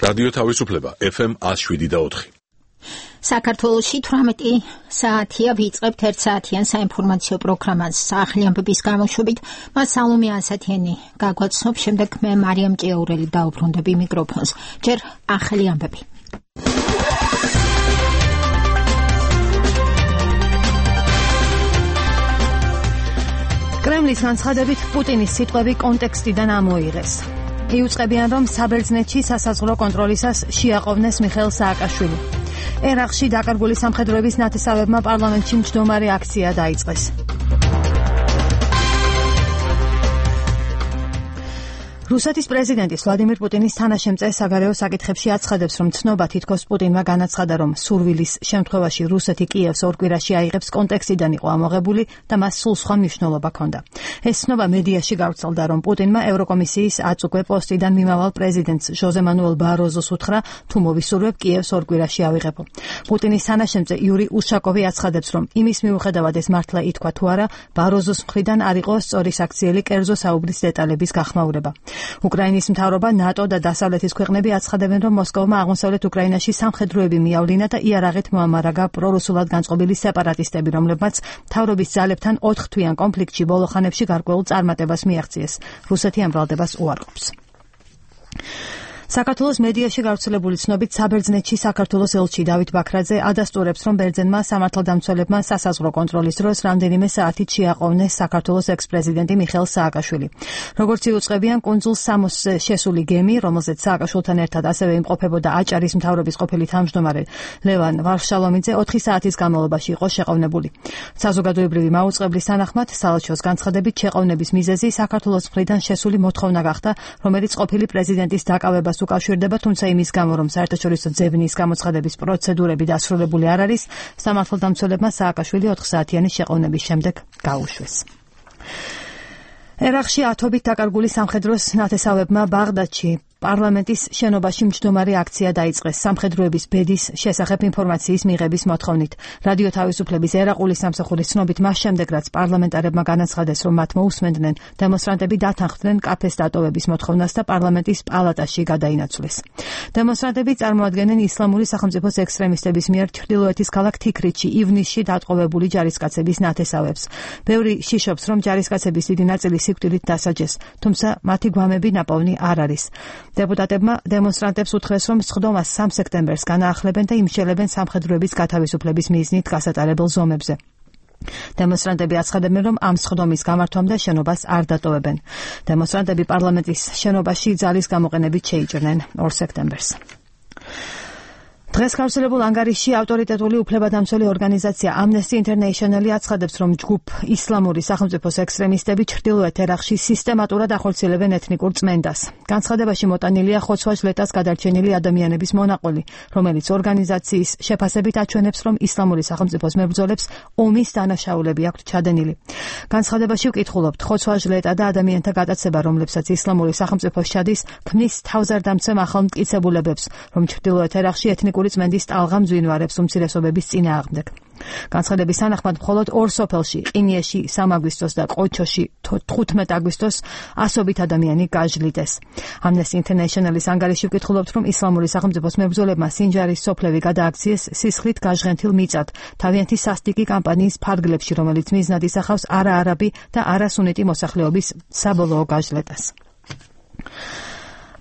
რადიო თავისუფლება FM 107.4. საქართველოში 18 საათია ვიწყებთ 1 საათიან საინფორმაციო პროგრამას ახალი ამბების გამოშვებით. მას სალომე ანსათიანი გაგვაცნობ, შემდეგ მე მარიამ ჭიაურელი დაუბრუნდები მიკროფონს. ჯერ ახალი ამბები. კრემლის განცხადებით პუტინის სიტყვები კონტექსტიდან ამოიღეს. იუწყებიან, რომ საბერძნეთში სასაზღვრო კონტროლისას შეაყოვნეს მიხეილ სააკაშვილი. ერაყში დაკარგული სამხედროების ნათესავებმა პარლამენტში მჯდომარე აქცია დაიწყეს. რუსეთის პრეზიდენტის ვლადიმირ პუტინის თანაშემწე საგარეო საკითხებში აცხადებს, რომ ცნობა თითქოს პუტინმა განაცხადა, რომ სურვილის შემთხვევაში რუსეთი კიევს ორ კვირაში აიღებს კონტექსტიდან იყო ამოღებული და მას სულ სხვა მნიშვნელობა ჰქონდა. ეს ცნობა მედიაში გავრცელდა, რომ პუტინმა ევროკომისიის აწუკვე პოსტიდან მიმავალ პრეზიდენტს ჟოზე მანუელ ბაროზოს უთხრა, თუ მოვისურვებ კიევს ორ კვირაში ავიღებო. პუტინის თანაშემწე იური უშაკოვი აცხადებს, რომ იმის მიუხედავად ეს მართლა ითქვა თუ არა, ბაროზოს მხრიდან არ იყო სწორი საქციელი კერძო საუბრის დეტალების გახმაურება. უკრაინის მთავრობა, ნატო და დასავლეთის ქვეყნები აცხადებენ, რომ მოსკოვმა აღმოსავლეთ უკრაინაში სამხედროები მიავლინა და იარაღით მოამარაგა პრორუსულად განწყობილი სეპარატისტები, რომლებმაც მთავრობის ძალებთან 4 თვიან კონფლიქტში ბოლო ხანებში გარკვეულ წარმატებას მიაღწიეს. რუსეთი ამ ბრალდებას უარყოფს. საქართველოს მედიაში გავრცელებული ცნობით საბერძნეთში საქართველოს ელჩი დავით ბაქრაძე ადასტურებს, რომ ბერძენმა სამართალდამცველებმა სასაზღვრო კონტროლის დროს რამდენიმე საათით შეაყოვნეს საქართველოს ექს-პრეზიდენტი მიხეილ სააკაშვილი. როგორც იუწყებიან, კუნძულ სამოსზე შესული გემი, რომელზეც სააკაშვილთან ერთად ასევე იმყოფებოდა აჭარის მთავრობის ყოფილი თავმჯდომარე ლევან ვარშალომიძე 4 საათის განმავლობაში იყო შეყოვნებული. საზოგადოებრივი მაუწყებლის თანახმად, საელჩოს განცხადებით, შეყოვნების მიზეზი საქართველოს მხრიდან შესული მოთხოვნა გახდა, რომელიც ყოფილი პრეზიდენტის დაკავებას უკავშირდება, თუმცა იმის გამო, რომ საერთაშორისო ძებნის გამოცხადების პროცედურები დასრულებული არ არის, სამართალდამცველებმა სააკაშვილი 4 საათიანი შეყოვნების შემდეგ გაუშვეს. ერაყში ათობით დაკარგული სამხედროს ნათესავებმა ბაღდადში პარლამენტის შენობაში მჯდომარე აქცია დაიწყეს სამხედროების ბედის შესახებ ინფორმაციის მიღების მოთხოვნით. რადიო თავისუფლების ერაყული სამსახურის ცნობით, მას შემდეგ, რაც პარლამენტარებმა განაცხადეს, რომ მათ მოусმენდნენ, დემონსტრანტები დათანხმდნენ კაფეს დატოვების მოთხოვნას და პარლამენტის პალატაში გადაინაცვლეს. დემონსტრანტები წარმოადგენენ ისლამური სახელმწიფოს ექსტრემისტების მიერ ჩრდილოეთის ქალაქ თიქრითში ივნისში დატყვევებული ჯარისკაცების ნათესავებს. ბევრი შიშობს, რომ ჯარისკაცების დიდი ნაწილი სიკვდილით დასაჯეს, თუმცა მათი გვამები ნაპოვნი არ არის. დეპუტატებმა დემონსტრანტებს უთხრეს, რომ სხდომას 3 სექტემბერს განაახლებენ და იმშელებენ სამხედროების გათავისუფლების მიზნით გასატარებელ ზომებზე. დემონსტრანტები აცხადებენ, რომ ამ სხდომის გამართვამდე შენობას არ დატოვებენ. დემონსტრანტები პარლამენტის შენობაში ძალის გამოყენებით შეიჭრნენ 2 სექტემბერს. დღეს გავრცელებულ ანგარიშში ავტორიტეტული უფლებადამცველი ორგანიზაცია Amnesty International აცხადებს, რომ ჯგუფ ისლამური სახელმწიფოს ექსტრემისტები ჩრდილოეთ ერაყში სისტემატურად ახორციელებენ ეთნიკურ წმენდას. განცხადებაში მოტანილია ხოცვა-ჟლეტას გადარჩენილი ადამიანების მონაყოლი, რომელიც ორგანიზაციის შეფასებით აჩვენებს, რომ ისლამური სახელმწიფოს მებრძოლებს ომის დანაშაულები აქვთ ჩადენილი. განცხადებაში ვკითხულობთ, ხოცვა-ჟლეტა და ადამიანთა გადაცება, რომლებსაც ისლამური სახელმწიფო შედის, ქმნის თავზარდამცემ ახალ მტკიცებულებებს, რომ ჩრდილოეთ ერაყში ეთნიკური წმენდის ტალღა მძვინვარებს უმცირესობების წინააღმდეგ. განცხადების თანახმად, მხოლოდ 2 სოფელში, ყინიეში 3 აგვისტოს და ყოჩოში 15 აგვისტოს ასობით ადამიანი გაჟლიტეს. Amnesty International-ის ანგარიში ვკითხულობთ, რომ ისლამური სახელმწიფოს მებრძოლებმა სინჯარის სოფლები გადააქციეს სისხლით გაჟღენთილ მიწად, თავიანთი სასტიკი კამპანიის ფარგლებში, რომელიც მიზნად ისახავს არაარაბი და არასუნიტი მოსახლეობის საბოლოო გაჟლეტას.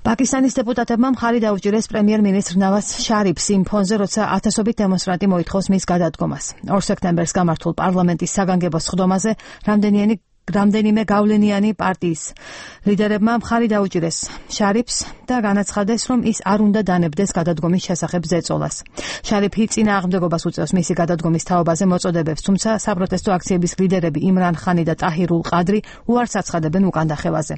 პაკისტანის დეპუტატებმა მხარი დაუჭირეს პრემიერ-მინისტრ ნავაზ შარიფს იმ ფონზე, როცა ათასობით დემონსტრანტი მოითხოვს მის გადადგომას. 2 სექტემბერს გამართულ პარლამენტის საგანგებო სხდომაზე რამდენიმე გავლენიანი პარტიის ლიდერებმა მხარი დაუჭირეს შარიფს და განაცხადეს, რომ ის არ უნდა დანებდეს გადადგომის შესახებ ზეწოლას. შარიფი წინააღმდეგობას უწევს მისი გადადგომის თაობაზე მოწოდებებს, თუმცა საპროტესტო აქციების ლიდერები იმრან ხანი და ტაჰირულ ყადრი უარს აცხადებენ უკანდახევაზე.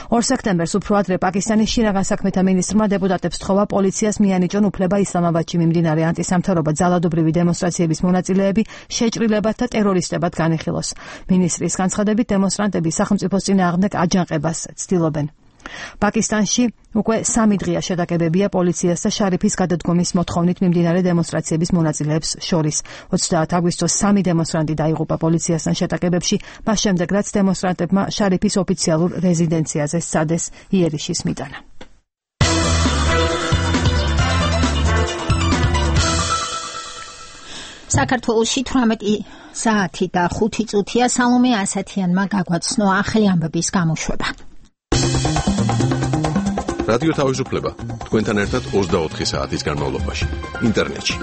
2 სექტემბერს უფრო ადრე პაკისტანის შინაგან საქმეთა მინისტრმა დეპუტატებს თხოვა პოლიციას მიანიჭონ უფლება ისლამაბადში მიმდინარე ანტისამთავრობო ძალადობრივი დემონსტრაციების მონაწილეები შეჭრილებად და ტერორისტებად განიხილოს. მინისტრის განცხადებით, დემონსტრანტები სახელმწიფოს წინააღმდეგ აჯანყებას ცდილობენ. პაკისტანში უკვე 3 დღეა შეტაკებებია პოლიციას და შარიფის გადადგომის მოთხოვნით მიმდინარე დემონსტრაციების მონაწილეებს შორის. 30 აგვისტოს 3 დემონსტრანტი დაიღუპა პოლიციასთან შეტაკებებში, მას შემდეგ რაც დემონსტრანტებმა შარიფის ოფიციალურ რეზიდენციაზე სცადეს იერიშის მიტანა. საქართველოში 18 საათი და 5 წუთია სალომე ასათიანმა გაგვაცნო ახალი ამბების გამოშვება. რადიო თავისუფლება თქვენთან ერთად 24 საათის განმავლობაში ინტერნეტში.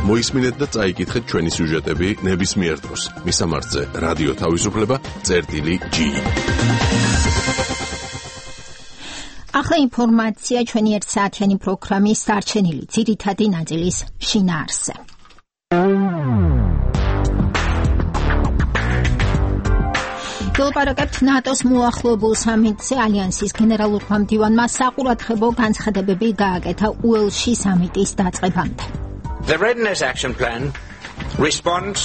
მოისმინეთ და წაიკითხეთ ჩვენი სიუჟეტები ნებისმიერ დროს. მისამართზე რადიო თავისუფლება.gi. ახლა ინფორმაცია ჩვენი 1 საათიანი პროგრამის დარჩენილი ძირითადი ნაწილის შინაარსზე. ვილაპარაკებთ ნატოს მოახლოებულ სამიტზე ალიანსის გენერალურმა მდივანმა საყურადღებო განცხადებები გააკეთა უელსში სამიტის დაწყებამდე. The readiness action plan responds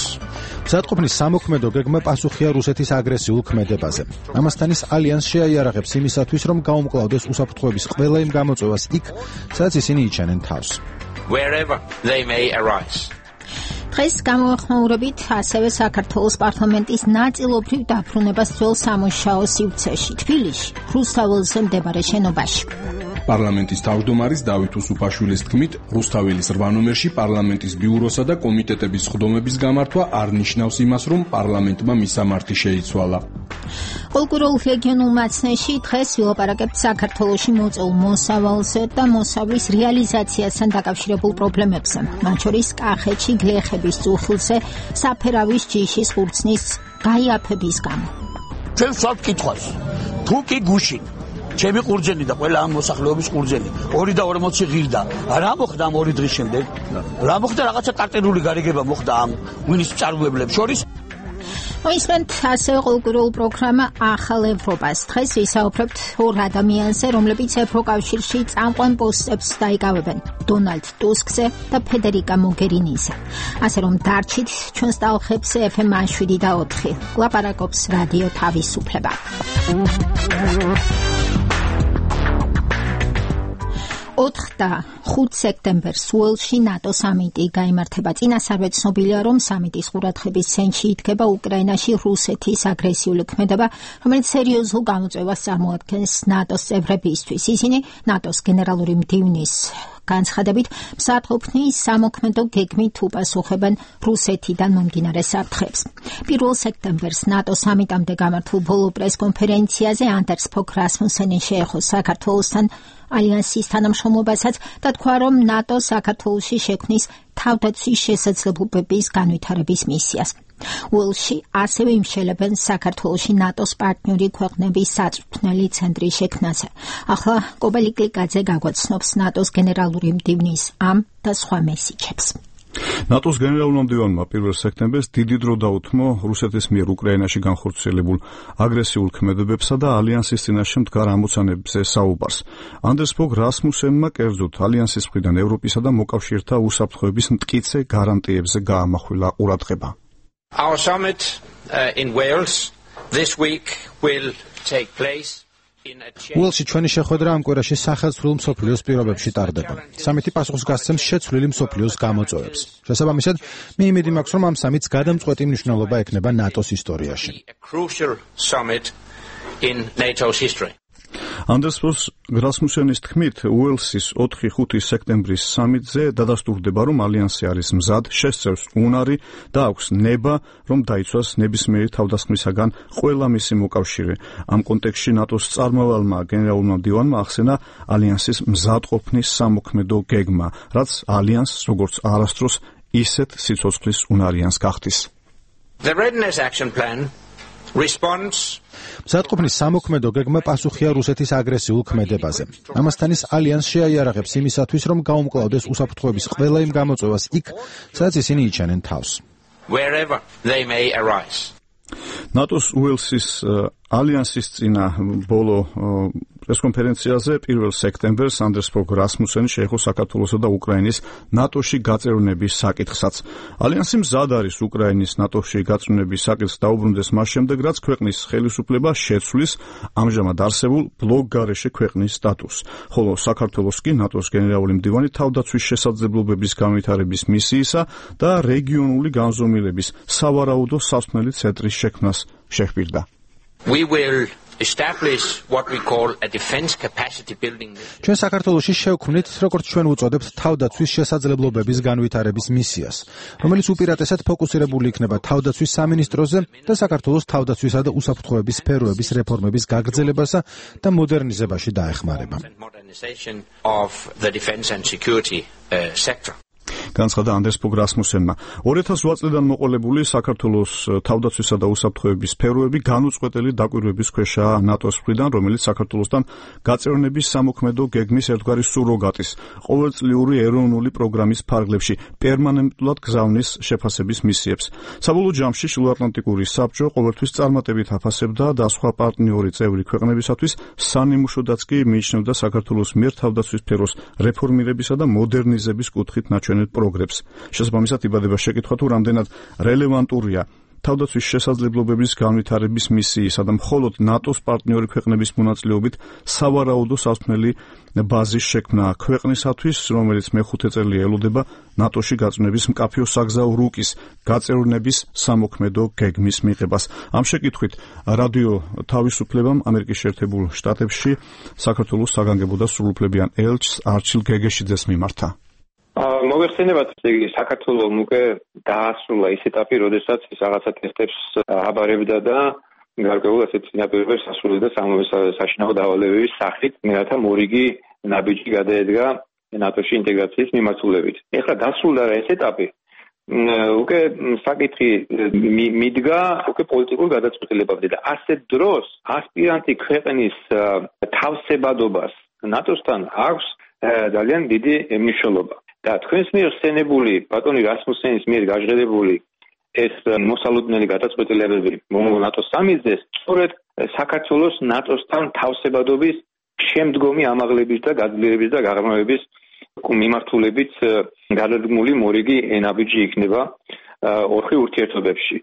მზადყოფნის სამოქმედო გეგმა პასუხია რუსეთის აგრესიულ ქმედებაზე. ამასთან ის ალიანსს შეაიარაღებს იმისათვის, რომ გაუმკლავდეს უსაფრთხოების ყველა იმ გამოწვევას იქ, სადაც ისინი იჩენენ თავს. wherever they may arise. დღეს გამოეხმაურებით ასევე საქართველოს პარლამენტის ნაწილობრივ დაბრუნებას ძველ სამუშაო სივრცეში, თბილისში, რუსთაველზე მდებარე შენობაში. პარლამენტის თავმჯდომარის დავით უსუფაშვილის თქმით, რუსთაველის 8 ნომერში პარლამენტის ბიუროსა და კომიტეტების სხდომების გამართვა არ ნიშნავს იმას, რომ პარლამენტმა მისამართი შეიცვალა. პოლკურულ რეგიონულ მაცნეში დღეს ვილაპარაკებთ საქართველოში მოწეულ მოსავალზე და მოსავლის რეალიზაციასთან დაკავშირებულ პრობლემებზე, მათ შორის კახეთში გლეხების წუხილზე საფერავის ჯიშის ხურცნის გაიაფების გამო. ჩვენ ვსვათ კითხვას, თუ კი გუშინ ჩემი ყურძენი და ყველა ამ მოსახლეობის ყურძენი 2.40 ღირდა. რა მოხდა ამ 2 დღის შემდეგ? რა მოხდა რაღაცა ტარტერული გარიგება მოხდა ამ მინის მწარმოებლებს შორის? მოისმენთ ასევე კულტურულ პროგრამა ახალ ევროპას. დღეს ვისაუბრებთ ორ ადამიანზე, რომლებიც ევროკავშირში წამყვან პოსტებს დაიკავებენ, დონალდ ტუსკზე და ფედერიკა მოგერინიზე. ასე რომ დარჩით ჩვენს ტალღებზე FM 7 ლაპარაკობს რადიო თავისუფლება. 4 და 5 სექტემბერს უელსში ნატო სამიტი გაიმართება. წინასწარ ცნობილია, რომ სამიტის ყურადღების ცენტრში იდგება უკრაინაში რუსეთის აგრესიული ქმედება, რომელიც სერიოზულ გამოწვევას წარმოადგენს ნატოს წევრებისთვის. ისინი ნატოს გენერალური მდივნის განცხადებით მსაჯულთნის სამოქმედო გეგმით უპასუხებენ რუსეთიდან მომდინარე საფრთხებს. 1 სექტემბერს ნატო სამიტამდე გამართულ ბოლო პრესკონფერენციაზე ანდერს ფოგ რასმუსენი შეეხო საქართველოსთან ალიანსის თანამშრომლობასაც და თქვა, რომ ნატო საქართველოში შექმნის თავდაცვის შესაძლებლობების განვითარების მისიას. უელსში ასევე იმშელებენ საქართველოში ნატოს პარტნიორი ქვეყნების საწვრთნელი ცენტრი შექმნაზე. ახლა კობალი კლიკაძე გაგვაცნობს ნატოს გენერალური მდივნის ამ და სხვა მესიჯებს. ნატოს გენერალურმა მდივანმა 1 სექტემბერს დიდი დრო დაუთმო რუსეთის მიერ უკრაინაში განხორციელებულ აგრესიულ ქმედებებსა და ალიანსის წინაშე მდგარ ამოცანებზე საუბარს. ანდერს ფოგ რასმუსენმა კერძოდ ალიანსის მხრიდან ევროპისა და მოკავშირეთა უსაფრთხოების მტკიცე გარანტიებზე გაამახვილა ყურადღება. Our summit in Wales this week will take place in a უელსში ჩვენი შეხვედრა ამ კვირაში სახელმწიფო მსოფლიოს პირობებში ტარდება. სამიტი პასუხს გასცემს შეცვლილი მსოფლიოს გამოწვევებს. შესაბამისად, მე იმედი მაქვს, რომ ამ სამიტს გადამწყვეტი მნიშვნელობა ექნება ნატოს ისტორიაში. a crucial summit in NATO's history. ანდერს ფოგ რასმუსენის თქმით, უელსის 4-5 სექტემბრის სამიტზე დადასტურდება, რომ ალიანსი არის მზად, შესწევს უნარი და აქვს ნება, რომ დაიცვას ნებისმიერი თავდასხმისაგან ყველა მისი მოკავშირე. ამ კონტექსტში ნატოს წარმავალმა გენერალურმა მდივანმა ახსენა ალიანსის მზადყოფნის სამოქმედო გეგმა, რაც ალიანსს როგორც არასდროს ისეთ სიცოცხლის უნარიანს გახდის. The readiness action plan responds მზადყოფნის სამოქმედო გეგმა პასუხია რუსეთის აგრესიულ ქმედებაზე. ამასთან ის ალიანსს შეაიარაღებს იმისათვის, რომ გაუმკლავდეს უსაფრთხოების ყველა იმ გამოწვევას იქ, სადაც ისინი იჩენენ თავს. wherever they may arise. ნატოს უელსის ალიანსის წინა ბოლო პრესკონფერენციაზე 1 სექტემბერს ანდერს ფოგ რასმუსენი შეეხო საქართველოსა და უკრაინის ნატოში გაწევრნების საკითხსაც. ალიანსი მზად არის უკრაინის ნატოში გაწევრნების საკითხს დაუბრუნდეს მას შემდეგ, რაც ქვეყნის ხელისუფლება შეცვლის ამჟამად არსებულ ბლოკგარეშე ქვეყნის სტატუსს, ხოლო საქართველოს კი ნატოს გენერალური მდივანი თავდაცვის შესაძლებლობების განვითარების მისიისა და რეგიონული განზომილების სავარაუდო სასმელი ცენტრის შექმნას შეჰპირდა. We will establish what we call a defense capacity building. ჩვენ საქართველოში შევქმნით, როგორც ჩვენ უწოდებთ, თავდაცვის შესაძლებლობების განვითარების მისიას, რომელიც უპირატესად ფოკუსირებული იქნება თავდაცვის სამინისტროზე და საქართველოს თავდაცვისა და უსაფრთხოების სფეროების რეფორმების გაგრძელებასა და მოდერნიზებაში დაეხმარება. Of the defense and security sector. განცხადა ანდრეს პოგრასმუსენმა. 2008 წლიდან მოყოლებული საქართველოს თავდაცვისა და უსაფრთხოების სფეროები განუწყვეტელი დაკვირვების ქვეშაა ნატოს მხრიდან, რომელიც საქართველოსთან გაწევრნების სამოქმედო გეგმის ერთგვარი სუროგატის, ყოველწლიური ეროვნული პროგრამის ფარგლებში პერმანენტულად გზავნის შეფასების მისიებს. საბოლოო ჯამში შილოატლანტიკური საბჭო ყოველთვის წარმატებით აფასებდა და სხვა პარტნიორი წევრი ქვეყნებისათვის სანიმუშოდაც კი მიიჩნევდა საქართველოს მიერ თავდაცვის სფეროს რეფორმირებისა და მოდერნიზების კუთხით ნაჩვენებ პროგრესს. შესაბამისად იბადება შეკითხვა თუ რამდენად რელევანტურია თავდაცვის შესაძლებლობების განვითარების მისიისა და მხოლოდ ნატოს პარტნიორი ქვეყნების მონაწილეობით სავარაუდო სასმელი ბაზის შექმნა ქვეყნისათვის, რომელიც მეხუთე წელი ელოდება ნატოში გაწევრების მკაფიო საგზაო რუკის გაწევრნების სამოქმედო გეგმის მიღებას. ამ შეკითხვით რადიო თავისუფლებამ ამერიკის შეერთებულ შტატებში საქართველოს საგანგებო და სრულუფლებიან ელჩს არჩილ გეგეშიძეს მიმართა. მოგეხსენებათ, საქართველოს უკვე დაასრულა ის ეტაპი, როდესაც ის რაღაცა ტესტებს აბარებდა და გარკვეულ ასეთ წინაპირობებს ასრულებდა საშინაო დავალებების სახით, რათა მორიგი ნაბიჯი გადაედგა ნატოში ინტეგრაციის მიმართულებით. ეხლა დასრულდა რა ეს ეტაპი. უკვე საკითხი მიდგა უკვე პოლიტიკურ გადაწყვეტილებამდე და ასეთ დროს ასპირანტი ქვეყნის თავსებადობას ნატოსთან აქვს ძალიან დიდი მნიშვნელობა. და თქვენს მიერ ხსენებული ბატონი რასმუსენის მიერ გაჟღერებული ეს მოსალოდნელი გადაწყვეტილებები ნატოს სამიზნეს სწორედ საქართველოს ნატოსთან თავსებადობის შემდგომი ამაღლების და გაძლიერების და გაღრმავების მიმართულებით გადადგმული მორიგი ნაბიჯი იქნება ორხი ურთიერთობებში.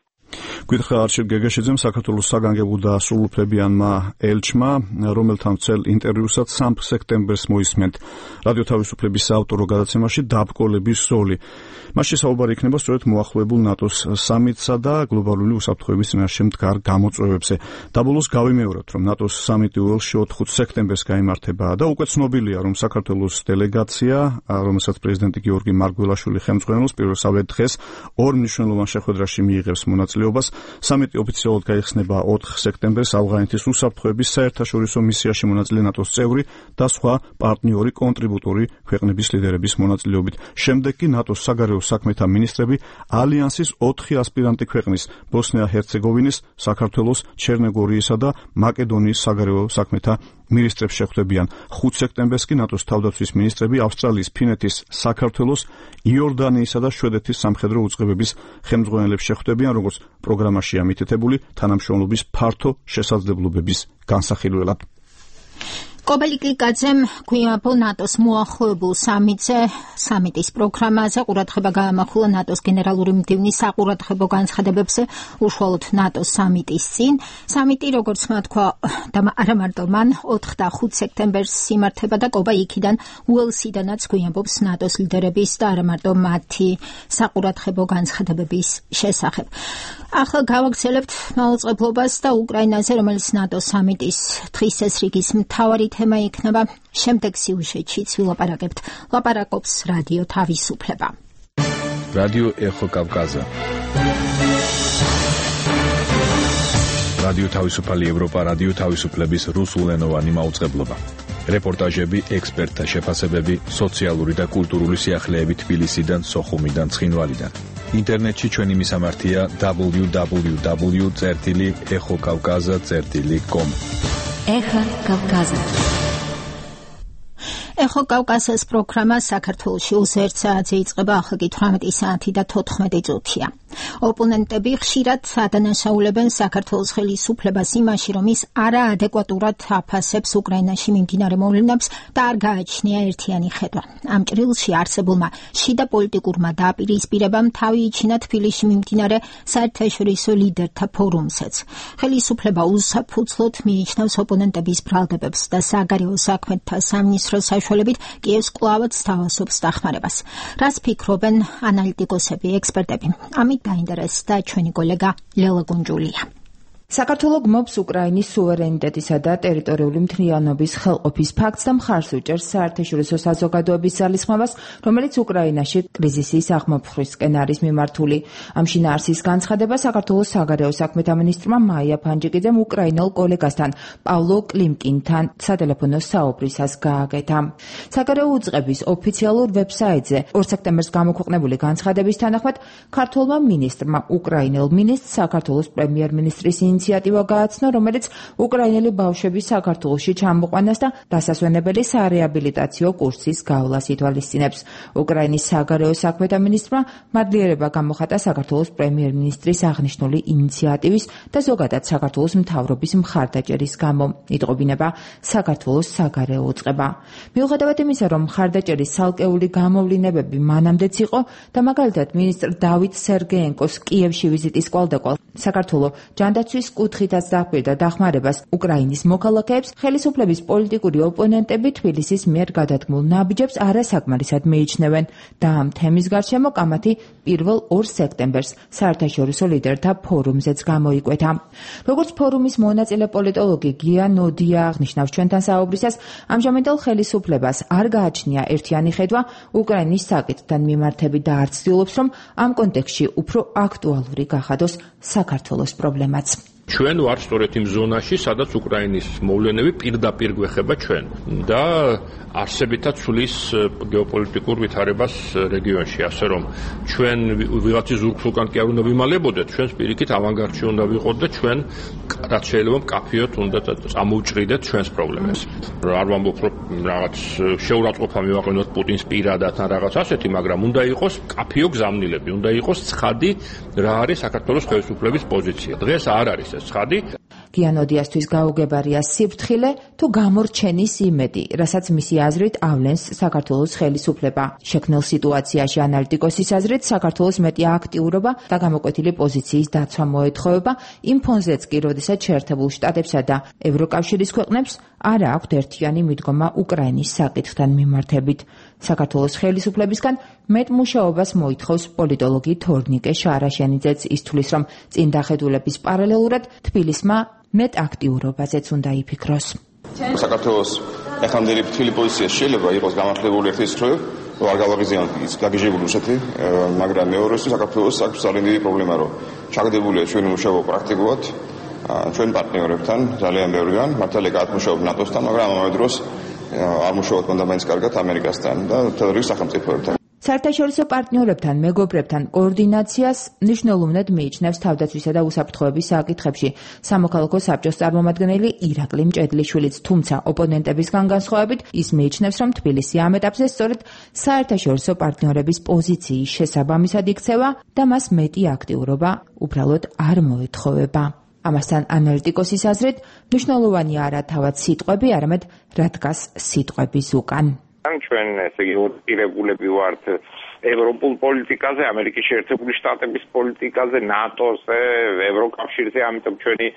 გვითხა არჩილ გეგეშიძემ საქართველოს საგანგებო და სრულუფლებიანმა ელჩმა, რომელთან წელ ინტერვიუსაც 3 სექტემბერს მოისმენთ რადიო თავისუფლების საავტორო გადაცემაში დაბრკოლების როლი. მასში საუბარი იქნება სწორედ მოახლოებულ ნატოს სამიტსა და გლობალური უსაფრთხოების წინაშე მდგარ გამოწვევებზე. დაბოლოს გავიმეორებთ, რომ ნატოს სამიტი უელსში 4 სექტემბერს გაიმართება და უკვე ცნობილია, რომ საქართველოს დელეგაცია, რომელსაც პრეზიდენტი გიორგი მარგველაშვილი ხელმძღვანელობს, პირველსავე დღეს ორ მნიშვნელოვან შეხვედრაში მიიღებს მონაწილეობას. სამიტი ოფიციალურად გაიხსნება 4 სექტემბერს ავღანეთის უსაფრთხოების საერთაშორისო მისიაში მონაწილე ნატოს წევრი და სხვა პარტნიორი კონტრიბუტორი ქვეყნების ლიდერების მონაწილეობით. შემდეგ კი ნატოს საგარეო საქმეთა მინისტრები ალიანსის 4 ასპირანტი ქვეყნის ბოსნია-ჰერცეგოვინის, საქართველოს, ჩერნოგორიისა და მაკედონიის საგარეო საქმეთა მინისტრებს შეხვდებიან. 5 სექტემბერს კი ნატოს თავდაცვის მინისტრები ავსტრალიის, ფინეთის, საქართველოს, იორდანიისა და შვედეთის სამხედრო უწყებების ხელმძღვანელებს შეხვდებიან, როგორც პროგრამაშია მითითებული თანამშრომლობის ფართო შესაძლებლობების განსახილველად. კობელი კლიკაძემ გვიამბო ნატოს მოახლოებულ სამიტზე, სამიტის პროგრამაზე ყურადღება გაამახვილა ნატოს გენერალური მდივნის საყურადღებო განცხადებებზე უშუალოდ ნატოს სამიტის წინ. სამიტი, როგორც თქვა, და არა მარტო მან 4 და 5 სექტემბერს იმართება და კობა იქიდან უელსიდანაც გვიამბობს ნატოს ლიდერების და არა მარტო მათი საყურადღებო განცხადებების შესახებ. ახლა გავაგრძელებთ მაუწყებლობას და უკრაინაზე, რომელიც ნატოს სამიტის დღის წესრიგის მთავარი თემა იქნება. შემდეგ სიუჟეტშიც ვილაპარაკებთ. ლაპარაკობს რადიო თავისუფლება. რადიო ეხო კავკაზა. რადიო თავისუფალი ევროპა, რადიო თავისუფლების რუსულენოვანი მაუწყებლობა. რეპორტაჟები, ექსპერტთა შეფასებები, სოციალური და კულტურული სიახლეები თბილისიდან, სოხუმიდან, ცხინვალიდან. ინტერნეტში ჩვენი მისამართია www.ეხოკავკაზა.com. ეხა კავკაზა. ეხო კავკასიის პროგრამა საქართველოში 21 საათზე იწყება, ახლა კი 18 საათი და 14 წუთია. ოპონენტები ხშირად ადანაშაულებენ საქართველოს ხელისუფლებას იმაში, რომ ის არაადეკვატურად აფასებს უკრაინაში მიმდინარე მოვლენებს და არ გააჩნია ერთიანი ხედვა. ამ ჭრილში არსებულმა შიდა პოლიტიკურმა დაპირისპირებამ თავი იჩინა თბილისში მიმდინარე საერთაშორისო ლიდერთა ფორუმსაც. ხელისუფლება უსაფუძვლოდ მიიჩნევს ოპონენტების ბრალდებებს და საგარეო საქმეთა სამინისტროს საშუალებით კიევს კვლავაც სთავაზობს დახმარებას. რას ფიქრობენ ანალიტიკოსები, ექსპერტები? ამით დაინტერესდა ჩვენი კოლეგა ლელა გუნჯულია. საქართველოს გმობს უკრაინის სუვერენიტეტისა და ტერიტორიული მთლიანობის ხელყოფის ფაქტს და მხარს უჭერს საერთაშორისო საზოგადოების ძალისხმევას, რომელიც უკრაინაში კრიზისის აღმოფხვისკენ არის მიმართული. ამ შინაარსის განცხადება საქართველოს საგარეო საქმეთა მინისტრმა მაია ფანჯიკიძემ უკრაინელ კოლეგასთან პავლო კლიმკინთან სატელეფონო საუბრისას გააკეთა. საგარეო უწყების ოფიციალურ ვებსაიტზე 2 სექტემბერს გამოქვეყნებული განცხადების თანახმად ქართველმა მინისტრმა უკრაინელ მინისტრს საქართველოს პრემიერ-მინისტრის ინიციატივა გააცნო, რომელიც უკრაინელი ბავშვების საქართველოში ჩამოყვანას და დასასვენებელი სარეაბილიტაციო კურსის გავლას ითვალისწინებს. უკრაინის საგარეო საქმეთა მინისტრმა მადლიერება გამოხატა საქართველოს პრემიერ-მინისტრის აღნიშნული ინიციატივის და ზოგადად საქართველოს მთავრობის მხარდაჭერის გამო. იტყობინება საქართველოს საგარეო უწყება. მიუხედავად იმისა, რომ მხარდაჭერის ცალკეული გამოვლინებები მანამდეც იყო და მაგალითად მინისტრ დავით სერგეენკოს კიევში ვიზიტის კვალდაკვალ საქართველოს ჯანდაცვის კუთხითაც დაჰყვირდა დახმარებას უკრაინის მოქალაქეებს, ხელისუფლების პოლიტიკური ოპონენტები თბილისის მიერ გადადგმულ ნაბიჯებს არასაკმარისად მიიჩნევენ და ამ თემის გარშემო კამათი 1 სექტემბერს საერთაშორისო ლიდერთა ფორუმზეც გამოიკვეთა. როგორც ფორუმის მონაწილე პოლიტოლოგი გია ნოდია აღნიშნავს ჩვენთან საუბრისას, ამჟამინდელ ხელისუფლებას არ გააჩნია ერთიანი ხედვა უკრაინის საკითხთან მიმართებით და არ ცდილობს, რომ ამ კონტექსტში უფრო აქტუალური გახადოს საქართველოს პრობლემაც. ჩვენ ვარ სწორედ იმ ზონაში, სადაც უკრაინის მოვლენები პირდაპირ გვეხება ჩვენ და არსებითაც ცვლის გეოპოლიტიკურ ვითარებას რეგიონში, ასე რომ ჩვენ ვიღაცის ზურგსულკან კი არ უნდა ვიმალებოდეთ, ჩვენს პირიქით ავანგარდში უნდა ვიყოთ და ჩვენ რაც შეიძლება მკაფიოდ უნდა წამოუჭრიდეთ ჩვენს პრობლემებს. არ ვამბობ, რომ რაღაც შეურაცხყოფა მივაყენოთ პუტინს პირადად ან რაღაც ასეთი, მაგრამ უნდა იყოს მკაფიო გზავნილები, უნდა იყოს ცხადი რა არის საქართველოს ხელისუფლების პოზიცია. დღეს არ არის ცხადი. გიანოდიასთვის გაუგებარია სიფრთხილე თუ გამორჩენის იმედი, რასაც მისი აზრით ავლენს საქართველოს ხელისუფლება. შექმნილ სიტუაციაში ანალიტიკოსის აზრით საქართველოს მეტი აქტიურობა და გამოკვეთილი პოზიციის დაცვა მოეთხოვება, იმ ფონზეც კი, როდესაც შეერთებულ შტატებსა და ევროკავშირის ქვეყნებს არ აქვთ ერთიანი მიდგომა უკრაინის საკითხთან მიმართებით. საქართველოს ხელისუფლებისგან მეტ მუშაობას მოითხოვს პოლიტოლოგი თორნიკე შარაშენიძეც. ის თვლის, რომ წინდახედულების პარალელურად თბილისმა მეტ აქტიურობაზეც უნდა იფიქროს. საქართველოს ეხანდელი ფრთხილი პოზიცია შეიძლება იყოს გამართლებული ერთის მხრივ, არ გავაღიზიანოთ ის გაგიჟებული რუსეთი, მაგრამ მეორესთვის საქართველოს აქვს ძალიან დიდი პრობლემა, რომ ჩაგდებულია ჩვენი მუშაობა პრაქტიკულად ჩვენ პარტნიორებთან, ძალიან ბევრგან, მართალია გაათმუშაობ ნატოსთან, მაგრამ ამავე დროს არ მუშაობთ მანდა მაინც კარგად ამერიკასთან და თეთრი სახელმწიფოებთან. საერთაშორისო პარტნიორებთან, მეგობრებთან კოორდინაციას მნიშვნელოვნად მიიჩნევს თავდაცვისა და უსაფრთხოების საკითხებში სამოქალაქო საბჭოს წარმომადგენელი ირაკლი მჭედლიშვილიც, თუმცა ოპონენტებისგან განსხვავებით ის მიიჩნევს, რომ თბილისი ამ ეტაპზე სწორედ საერთაშორისო პარტნიორების პოზიციის შესაბამისად იქცევა და მას მეტი აქტიურობა უბრალოდ არ მოეთხოვება. ამასთან ანალიტიკოსის აზრით, მნიშვნელოვანი არა თავად სიტყვები, არამედ რა დგას სიტყვების უკან. ჩვენ ესე იგი ირეგულები ვართ ევროპულ პოლიტიკაზე, ამერიკის შეერთებული შტატების პოლიტიკაზე, ნატოზე, ევროკავშირზე, ამიტომ ჩვენი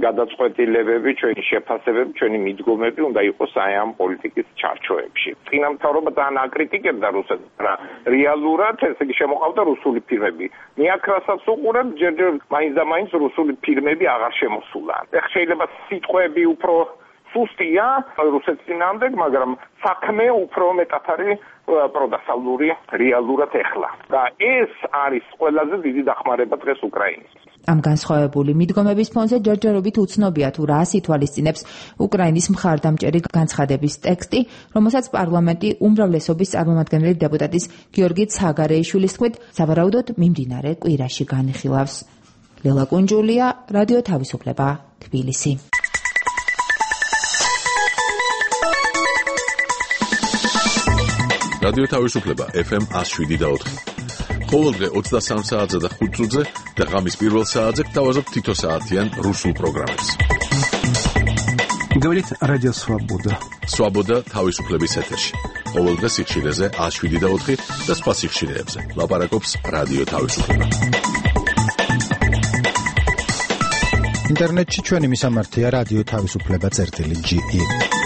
გადაწყვეტილებები, ჩვენი შეფასებები, ჩვენი მიდგომები უნდა იყოს აი ამ პოლიტიკის ჩარჩოებში. წინა მთავრობა ძალიან აკრიტიკებდა რუსეთს, რა რეალურად ესე იგი შემოყავდა რუსული ფირმები. მიაქრასაც უყურებ, ჯერჯერ მაინც და მაინც რუსული ფირმები აღარ შემოსულან. ეხლა შეიძლება სიტყვები უფრო სუსტია რუსეთის წინააღმდეგ, მაგრამ საქმე უფრო მეტად არის პროდასავლური რეალურად ეხლა. და ეს არის ყველაზე დიდი დახმარება დღეს უკრაინის. ამ განსხვავებული მიდგომების ფონზე ჯერჯერობით უცნობია თუ რას ითვალისწინებს უკრაინის მხარდამჭერი განცხადების ტექსტი, რომელსაც პარლამენტი უმრავლესობის წარმომადგენელი დეპუტატის გიორგი ცაგარეიშვილის თქმით, სავარაუდოდ მიმდინარე კვირაში განიხილავს. ლელა კუნჯულია, რადიო თავისუფლება, თბილისი. რადიო თავისუფლება FM 107.4. ყოველდღე 23 საათზე და 5 წუთზე და ღამის პირველ საათზე გთავაზობთ თითო საათიან რუსულ პროგრამებს. Говорит Радио Свобода. Свобода თავისუფლების ეთერში. ყოველდღე სიხშირეზე 107.4 და სხვა სიხშირეებზე. ლაპარაკობს რადიო თავისუფლება. ინტერნეტში ჩვენი მისამართია რადიო თავისუფლება.ge.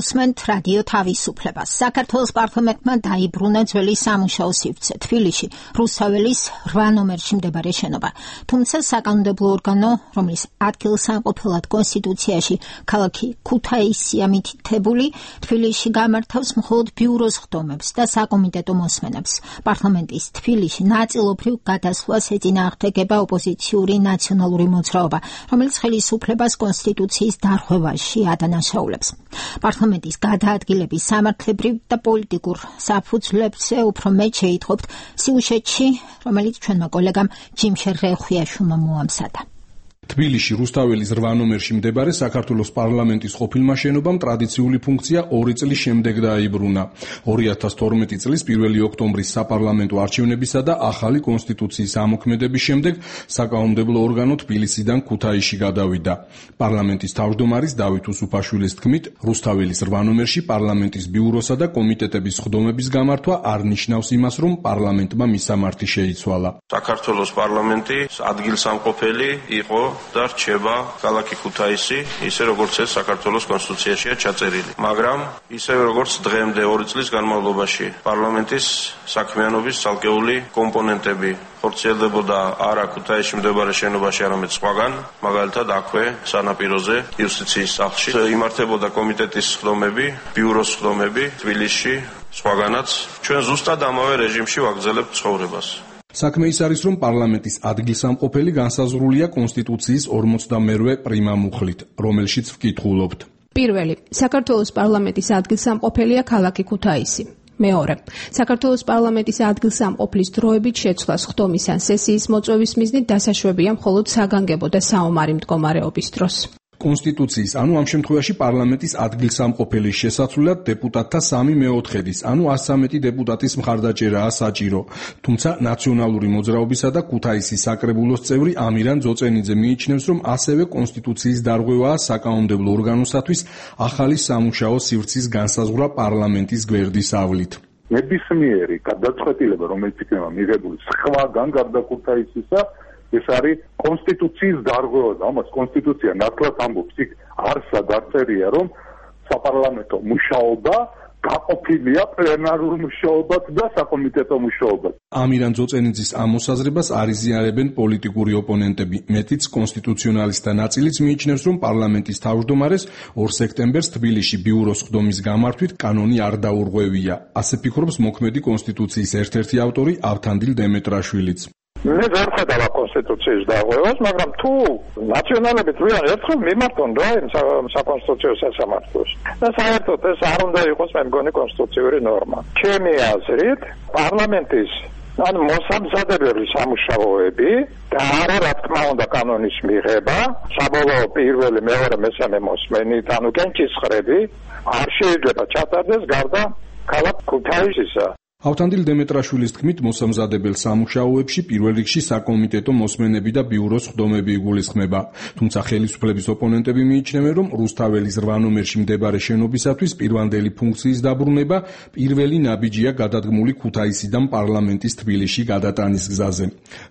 უსმენთ რადიო თავისუფლებას. საქართველოს პარლამენტმა დაიბრუნა ძველი სამუშაო სივრცე თბილისში, რუსთაველის 8 ნომერში მდებარე შენობა. თუმცა საკანონმდებლო ორგანო, რომლის ადგილსამყოფელად კონსტიტუციაში ქალაქი ქუთაისია მითითებული, თბილისში გამართავს მხოლოდ ბიუროს ხდომებს და საკომიტეტო მოსმენებს. პარლამენტის თბილისში ნაწილობრივ გადასვლას ეწინააღმდეგება ოპოზიციური ნაციონალური მოძრაობა, რომელიც ხელისუფლებას კონსტიტუციის დარღვევაში ადანაშაულებს. პარლამენტის გადაადგილების სამართლებრივ და პოლიტიკურ საფუძვლებზე უფრო მეტ შეითხოვთ სიუჟეტში, რომელიც ჩვენმა კოლეგამ ჯიმშერ რეხვიაშვილმა მოამზადა. თბილისში რუსთაველის 8 ნომერში მდებარე საქართველოს პარლამენტის ყოფილმა შენობამ ტრადიციული ფუნქცია 2 წლის შემდეგ დაიბრუნა. 2012 წლის 1 ოქტომბრის საპარლამენტო არჩევნებისა და ახალი კონსტიტუციის ამოქმედების შემდეგ საკანონმდებლო ორგანო თბილისიდან ქუთაისში გადავიდა. პარლამენტის თავმჯდომარის დავით უსუფაშვილის თქმით, რუსთაველის 8 ნომერში პარლამენტის ბიუროსა და კომიტეტების ხდომების გამართვა არ ნიშნავს იმას, რომ პარლამენტმა მისამართი შეიცვალა. საქართველოს პარლამენტი ადგილსამყოფელი იყო და რჩება ქალაქი ქუთაისი, ისე როგორც ეს საქართველოს კონსტიტუციაშია ჩაწერილი. მაგრამ ისევე როგორც დღემდე 2 წლის განმავლობაში პარლამენტის საქმიანობის ცალკეული კომპონენტები ხორციელდებოდა არა ქუთაისში მდებარე შენობაში, არამედ სხვაგან, მაგალითად აქვე სანაპიროზე იუსტიციის სახლში იმართებოდა კომიტეტის სხდომები, ბიუროს სხდომები თბილისში, სხვაგანაც ჩვენ ზუსტად ამავე რეჟიმში ვაგრძელებთ ცხოვრებას. საქმე ის არის, რომ პარლამენტის ადგილსამყოფელი განსაზღვრულია კონსტიტუციის 42 პრიმა მუხლით, რომელშიც ვკითხულობთ. პირველი, საქართველოს პარლამენტის ადგილსამყოფელია ქალაქი ქუთაისი. მეორე, საქართველოს პარლამენტის ადგილსამყოფლის დროებით შეცვლას ხდომის ან სესიის მოწვევის მიზნით დასაშვებია მხოლოდ საგანგებო და საომარი მდგომარეობის დროს. კონსტიტუციის, ანუ ამ შემთხვევაში პარლამენტის ადგილსამყოფელის შესაცვლელად დეპუტატთა 3/4-ის, ანუ 113 დეპუტატის მხარდაჭერაა საჭირო. თუმცა ნაციონალური მოძრაობისა და ქუთაისის საკრებულოს წევრი ამირან ძოწენიძე მიიჩნევს, რომ ასევე კონსტიტუციის დარღვევაა საკანონმდებლო ორგანოსათვის ახალი სამუშაო სივრცის განსაზღვრა პარლამენტის გვერდის ავლით. ნებისმიერი გადაწყვეტილება, რომელიც იქნება მიღებული სხვაგან გარდა ქუთაისისა, ეს არის კონსტიტუციის დარღვევა და ამას კონსტიტუცია ნათლად ამბობს, იქ არსა დაწერია, რომ საპარლამენტო მუშაობა გაყოფილია პლენარულ მუშაობად და საკომიტეტო მუშაობად. ამირან ძოწენიძის ამ მოსაზრებას არიზიარებენ პოლიტიკური ოპონენტები. მეტიც კონსტიტუციონალისტთა ნაწილიც მიიჩნევს, რომ პარლამენტის თავმჯდომარეს 2 სექტემბერს თბილისში ბიუროს ხდომის გამართვით კანონი არ დაურღვევია. ასე ფიქრობს მოქმედი კონსტიტუციის ერთ-ერთი ავტორი ავთანდილ დემეტრაშვილიც. მე ვერ ხედავ კონსტიტუციის დარღვევას, მაგრამ თუ ნაციონალები თვითონ ერთხელ მიმართონ რა იმ საკონსტიტუციო სასამართლოს. და საერთოდ ეს არ უნდა იყოს მე მგონი კონსტიტუციური ნორმა. ჩემი აზრით, პარლამენტის ან მოსამზადებელი სამუშაოები და არა რა თქმა უნდა კანონის მიღება, საბოლოო პირველი, მეორე, მესამე მოსმენით, ანუ კენჭისყრები არ შეიძლება ჩატარდეს გარდა ქალაქ ქუთაისისა. ავთანდილ დემეტრაშვილის თქმით, მოსამზადებელ სამუშაოებში პირველ რიგში საკომიტეტო მოსმენები და ბიუროს ხდომები იგულისხმება. თუმცა ხელისუფლების ოპონენტები მიიჩნევენ, რომ რუსთაველის 8 ნომერში მდებარე შენობისათვის პირვანდელი ფუნქციის დაბრუნება პირველი ნაბიჯია გადადგმული ქუთაისიდან პარლამენტის თბილისში გადატანის გზაზე.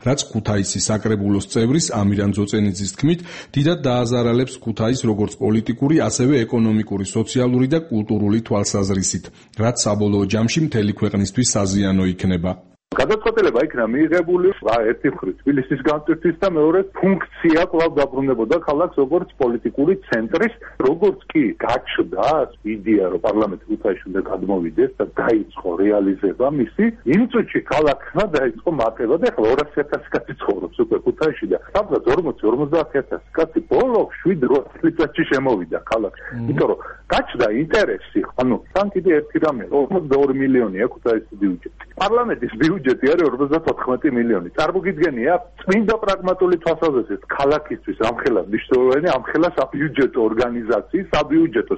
რაც ქუთაისის საკრებულოს წევრის ამირან ძოწენიძის თქმით, დიდად დააზარალებს ქუთაისს როგორც პოლიტიკური, ასევე ეკონომიკური, სოციალური და კულტურული თვალსაზრისით, რაც საბოლოო ჯამში მთელი ქვეყნისთვის საზიანო იქნება. გადაწყვეტილება იქნა მიიღებული ერთი მხრივ თბილისის განწყვეტის და მეორე ფუნქცია კვლავ დაბრუნებოდა ქალაქს როგორც პოლიტიკური ცენტრის, როგორც კი გაჩნდა იდეა, რომ პარლამენტი ქუთაისში უნდა გადმოვიდეს და დაიწყო რეალიზება მისი, იმ წუთში ქალაქმა დაიწყო მატება და ახლა 200,000 კაცი ცხოვრობს უკვე ქუთაისში და სადღაც 40-50,000 კაცი ბოლო 7-8 წელიწადში შემოვიდა ქალაქში. იმიტომ რომ გაჩნდა ინტერესი, ანუ თან კიდე ერთი რამე, 42 მილიონია ქუთაისის ბიუჯეტი. პარლამენტის ბიუჯეტი არის 54 მილიონი. წარმოგიდგენია, წმინდა პრაგმატული თვალსაზრისით, ქალაქისთვის ამხელა მნიშვნელოვანი, ამხელა საბიუჯეტო ორგანიზაციის, საბიუჯეტო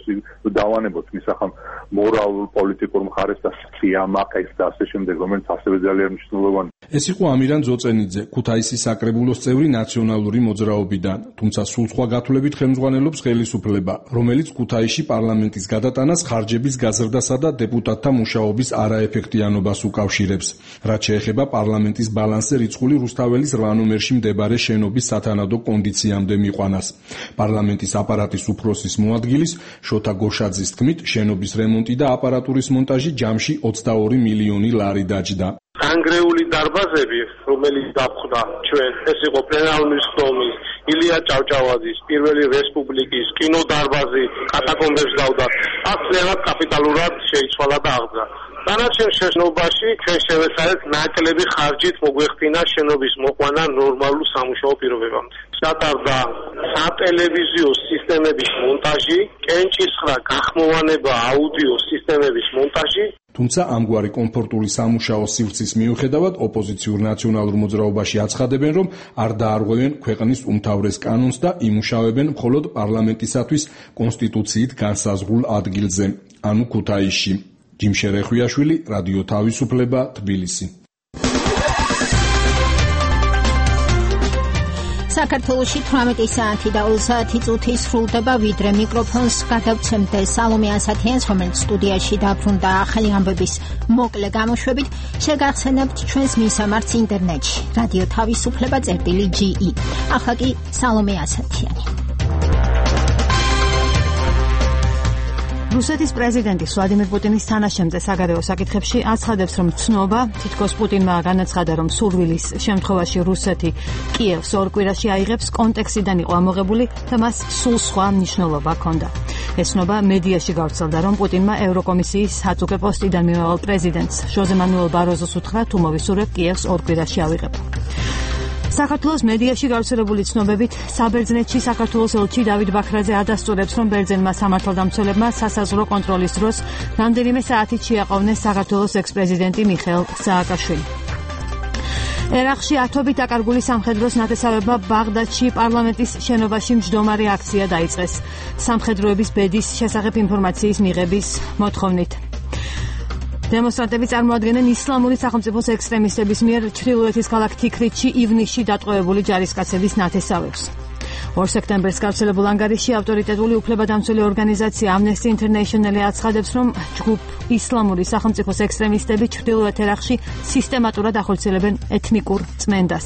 დავანებოთ მისახამ მორალურ, პოლიტიკურ მხარეს და სიამაყეს და ასე შემდეგ, რომელიც ასევე ძალიან მნიშვნელოვანი. ეს იყო ამირან ძოწენიძე, ქუთაისის საკრებულოს წევრი ნაციონალური მოძრაობიდან, თუმცა სულ სხვა გათვლებით ხელმძღვანელობს ხელისუფლება, რომელიც ქუთაისში პარლამენტის გადატანას ხარჯების გაზრდასა და დეპუტატთა მუშაობის არაეფექტიანობას უკავშირებს. რაც შეეხება პარლამენტის ბალანსზე რიცხული რუსთაველის 8 ნომერში მდებარე შენობის სათანადო კონდიციამდე მიყვანას. პარლამენტის აპარატის უფროსის მოადგილის შოთა გოშაძის თქმით, შენობის რემონტი და აპარატურის მონტაჟი ჯამში 22 მილიონი ლარი დაჯდა. ანგრეული დარბაზები, რომელიც დაფხდა ჩვენ, ეს იყო პლენარული ხდომის, ილია ჭავჭავაძის, პირველი რესპუბლიკის, კინოდარბაზი, კატაკომბებს დავდა. აქ ძალიან კაპიტალურად შეიცვალა და აღძა. დანარჩენ შენობაში ჩვენ შევეცადეთ ნაკლები ხარჯით მოგვეხდინა შენობის მოყვანა ნორმალურ სამუშაო პირობებამდე. ჩატარდა სატელევიზიო სისტემების მონტაჟი, კენჭისყრა, გახმოვანება აუდიო სისტემების მონტაჟი. თუმცა ამგვარი კომფორტული სამუშაო სივრცის მიუხედავად ოპოზიციურ ნაციონალურ მოძრაობაში აცხადებენ, რომ არ დაარღვევენ ქვეყნის უმთავრეს კანონს და იმუშავებენ მხოლოდ პარლამენტისათვის კონსტიტუციით განსაზღვრულ ადგილზე, ანუ ქუთაისში. ჯიმშე რეხვიაშვილი, რადიო თავისუფლება, თბილისი. საქართველოში 18 საათი და 30 წუთი სრულდება, ვიდრე მიკროფონს გადავცემდე სალომე ასათიანს, რომელიც სტუდიაში დაბრუნდა ახალი ამბების მოკლე გამოშვებით. შეგახსენებთ ჩვენს მისამართს ინტერნეტში, რადიო თავისუფლება წერტილი.ge. ახლა კი სალომე ასათიანი. რუსეთის პრეზიდენტი ვლადიმერ პუტინის თანაშემწე საგარეო საკითხებში აცხადებს, რომ ცნობა, თითქოს პუტინმა განაცხადა, რომ სურვილის შემთხვევაში რუსეთი კიევს ორ კვირაში აიღებს, კონტექსტიდან იყო ამოღებული და მას სულ სხვა მნიშვნელობა ჰქონდა. ეს ცნობა მედიაში გავრცელდა, რომ პუტინმა ევროკომისიის აწუხე პოსტიდან მიმავალ პრეზიდენტს ჟოზე მანუელ ბაროზოს უთხრა, თუ მოვისურვებ კიევს ორ კვირაში ავიღებ. საქართველოს მედიაში გავრცელებული ცნობებით საბერძნეთში საქართველოს ელჩი დავით ბაქრაძე ადასტურებს, რომ ბერძენმა სამართალდამცველებმა სასაზღვრო კონტროლის დროს რამდენიმე საათით შეაყოვნეს საქართველოს ექს-პრეზიდენტი მიხეილ სააკაშვილი. ერაყში ათობით დაკარგული სამხედროს ნათესავებმა ბაღდადში პარლამენტის შენობაში მჯდომარე აქცია დაიწყეს სამხედროების ბედის შესახებ ინფორმაციის მიღების მოთხოვნით. დემონსტრანტები წარმოადგენენ ისლამური სახელმწიფოს ექსტრემისტების მიერ ჩრდილოეთის ქალაქ თიქრითში ივნისში დატყვევებული ჯარისკაცების ნათესავებს. 2 სექტემბერს გავრცელებულ ანგარიშში ავტორიტეტული უფლებადამცველი ორგანიზაცია Amnesty International აცხადებს, რომ ჯგუფ ისლამური სახელმწიფოს ექსტრემისტები ჩრდილოეთ ერაყში სისტემატურად ახორციელებენ ეთნიკურ წმენდას.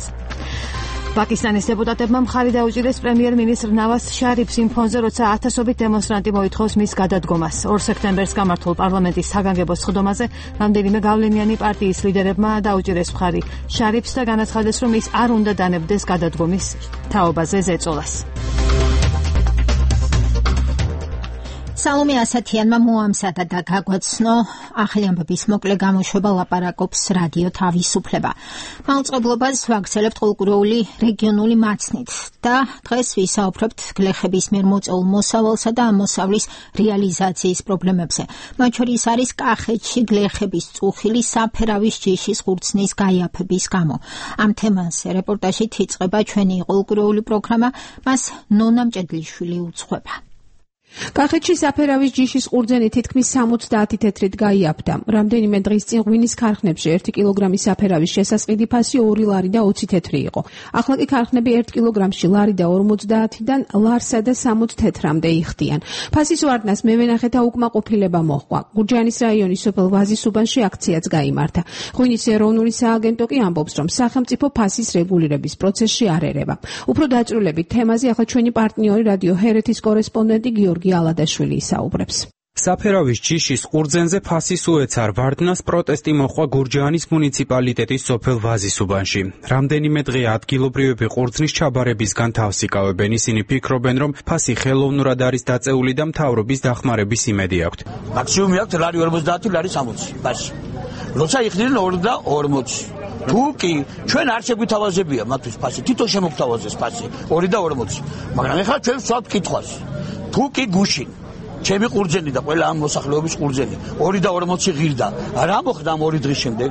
პაკისტანის დეპუტატებმა მხარი დაუჭირეს პრემიერ-მინისტრ ნავაზ შარიფს იმ ფონზე, როცა ათასობით დემონსტრანტი მოითხოვს მის გადადგომას. 2 სექტემბერს გამართულ პარლამენტის საგანგებო სხდომაზე რამდენიმე გავლენიანი პარტიის ლიდერებმა დაუჭირეს მხარი შარიფს და განაცხადეს, რომ ის არ უნდა დანებდეს გადადგომის თაობაზე ზეწოლას. სალომე ასათიანმა მოამზადა და გაგვაცნო ახალი ამბების მოკლე გამოშვება, ლაპარაკობს რადიო თავისუფლება. მაუწყებლობას ვაგრძელებთ ყოველკვირეული რეგიონული მაცნით და დღეს ვისაუბრებთ გლეხების მიერ მოწეულ მოსავალსა და ამ მოსავლის რეალიზაციის პრობლემებზე. მათ შორის არის კახეთში გლეხების წუხილი საფერავის ჯიშის ხურცნის გაიაფების გამო. ამ თემაზე რეპორტაჟით იწყება ჩვენი ყოველკვირეული პროგრამა, მას ნონა მჭედლიშვილი უძღვება. კახეთში საფერავის ჯიშის ყურძენი თითქმის 70 თეთრით გაიაფდა. რამდენიმე დღის წინ ღვინის ქარხნებში 1 კილოგრამის საფერავის შესასყიდი ფასი 2 ლარი და 20 თეთრი იყო. ახლა კი ქარხნები 1 კილოგრამში ლარი და 50-დან ლარსა და 60 თეთრამდე იხდიან. ფასის ვარდნას მევენახეთა უკმაყოფილება მოჰყვა. გურჯაანის რაიონის სოფელ ვაზისუბანში აქციაც გაიმართა. ღვინის ეროვნული სააგენტო კი ამბობს, რომ სახელმწიფო ფასის რეგულირების პროცესში არ ერევა. უფრო დაწვრილებით თემაზე ახლა ჩვენი პარტნიორი რადიო ჰერეთის კორესპონდენტი გიორგი ალადაშვილი ისაუბრებს. საფერავის ჯიშის ყურძენზე ფასის უეცარ ვარდნას პროტესტი მოჰყვა გურჯაანის მუნიციპალიტეტის სოფელ ვაზისუბანში. რამდენიმე დღე ადგილობრივები ყურძნის ჩაბარებისგან თავს იკავებენ. ისინი ფიქრობენ, რომ ფასი ხელოვნურად არის დაწეული და მთავრობის დახმარების იმედი აქვთ. მაქსიმუმი აქვს ლარი 50, ლარი 60 ფასი. როცა იხდნენ 2 და 40. თუ კი ჩვენ არ შეგვითავაზებია მათთვის ფასი, თვითონ შემოგთავაზეს ფასი 2 და 40. მაგრამ ეხლა ჩვენ ვსვათ კითხვას. თუ კი გუშინ ჩემი ყურძენი და ყველა ამ მოსახლეობის ყურძენი 2 და 40 ღირდა, რა მოხდა ამ 2 დღის შემდეგ?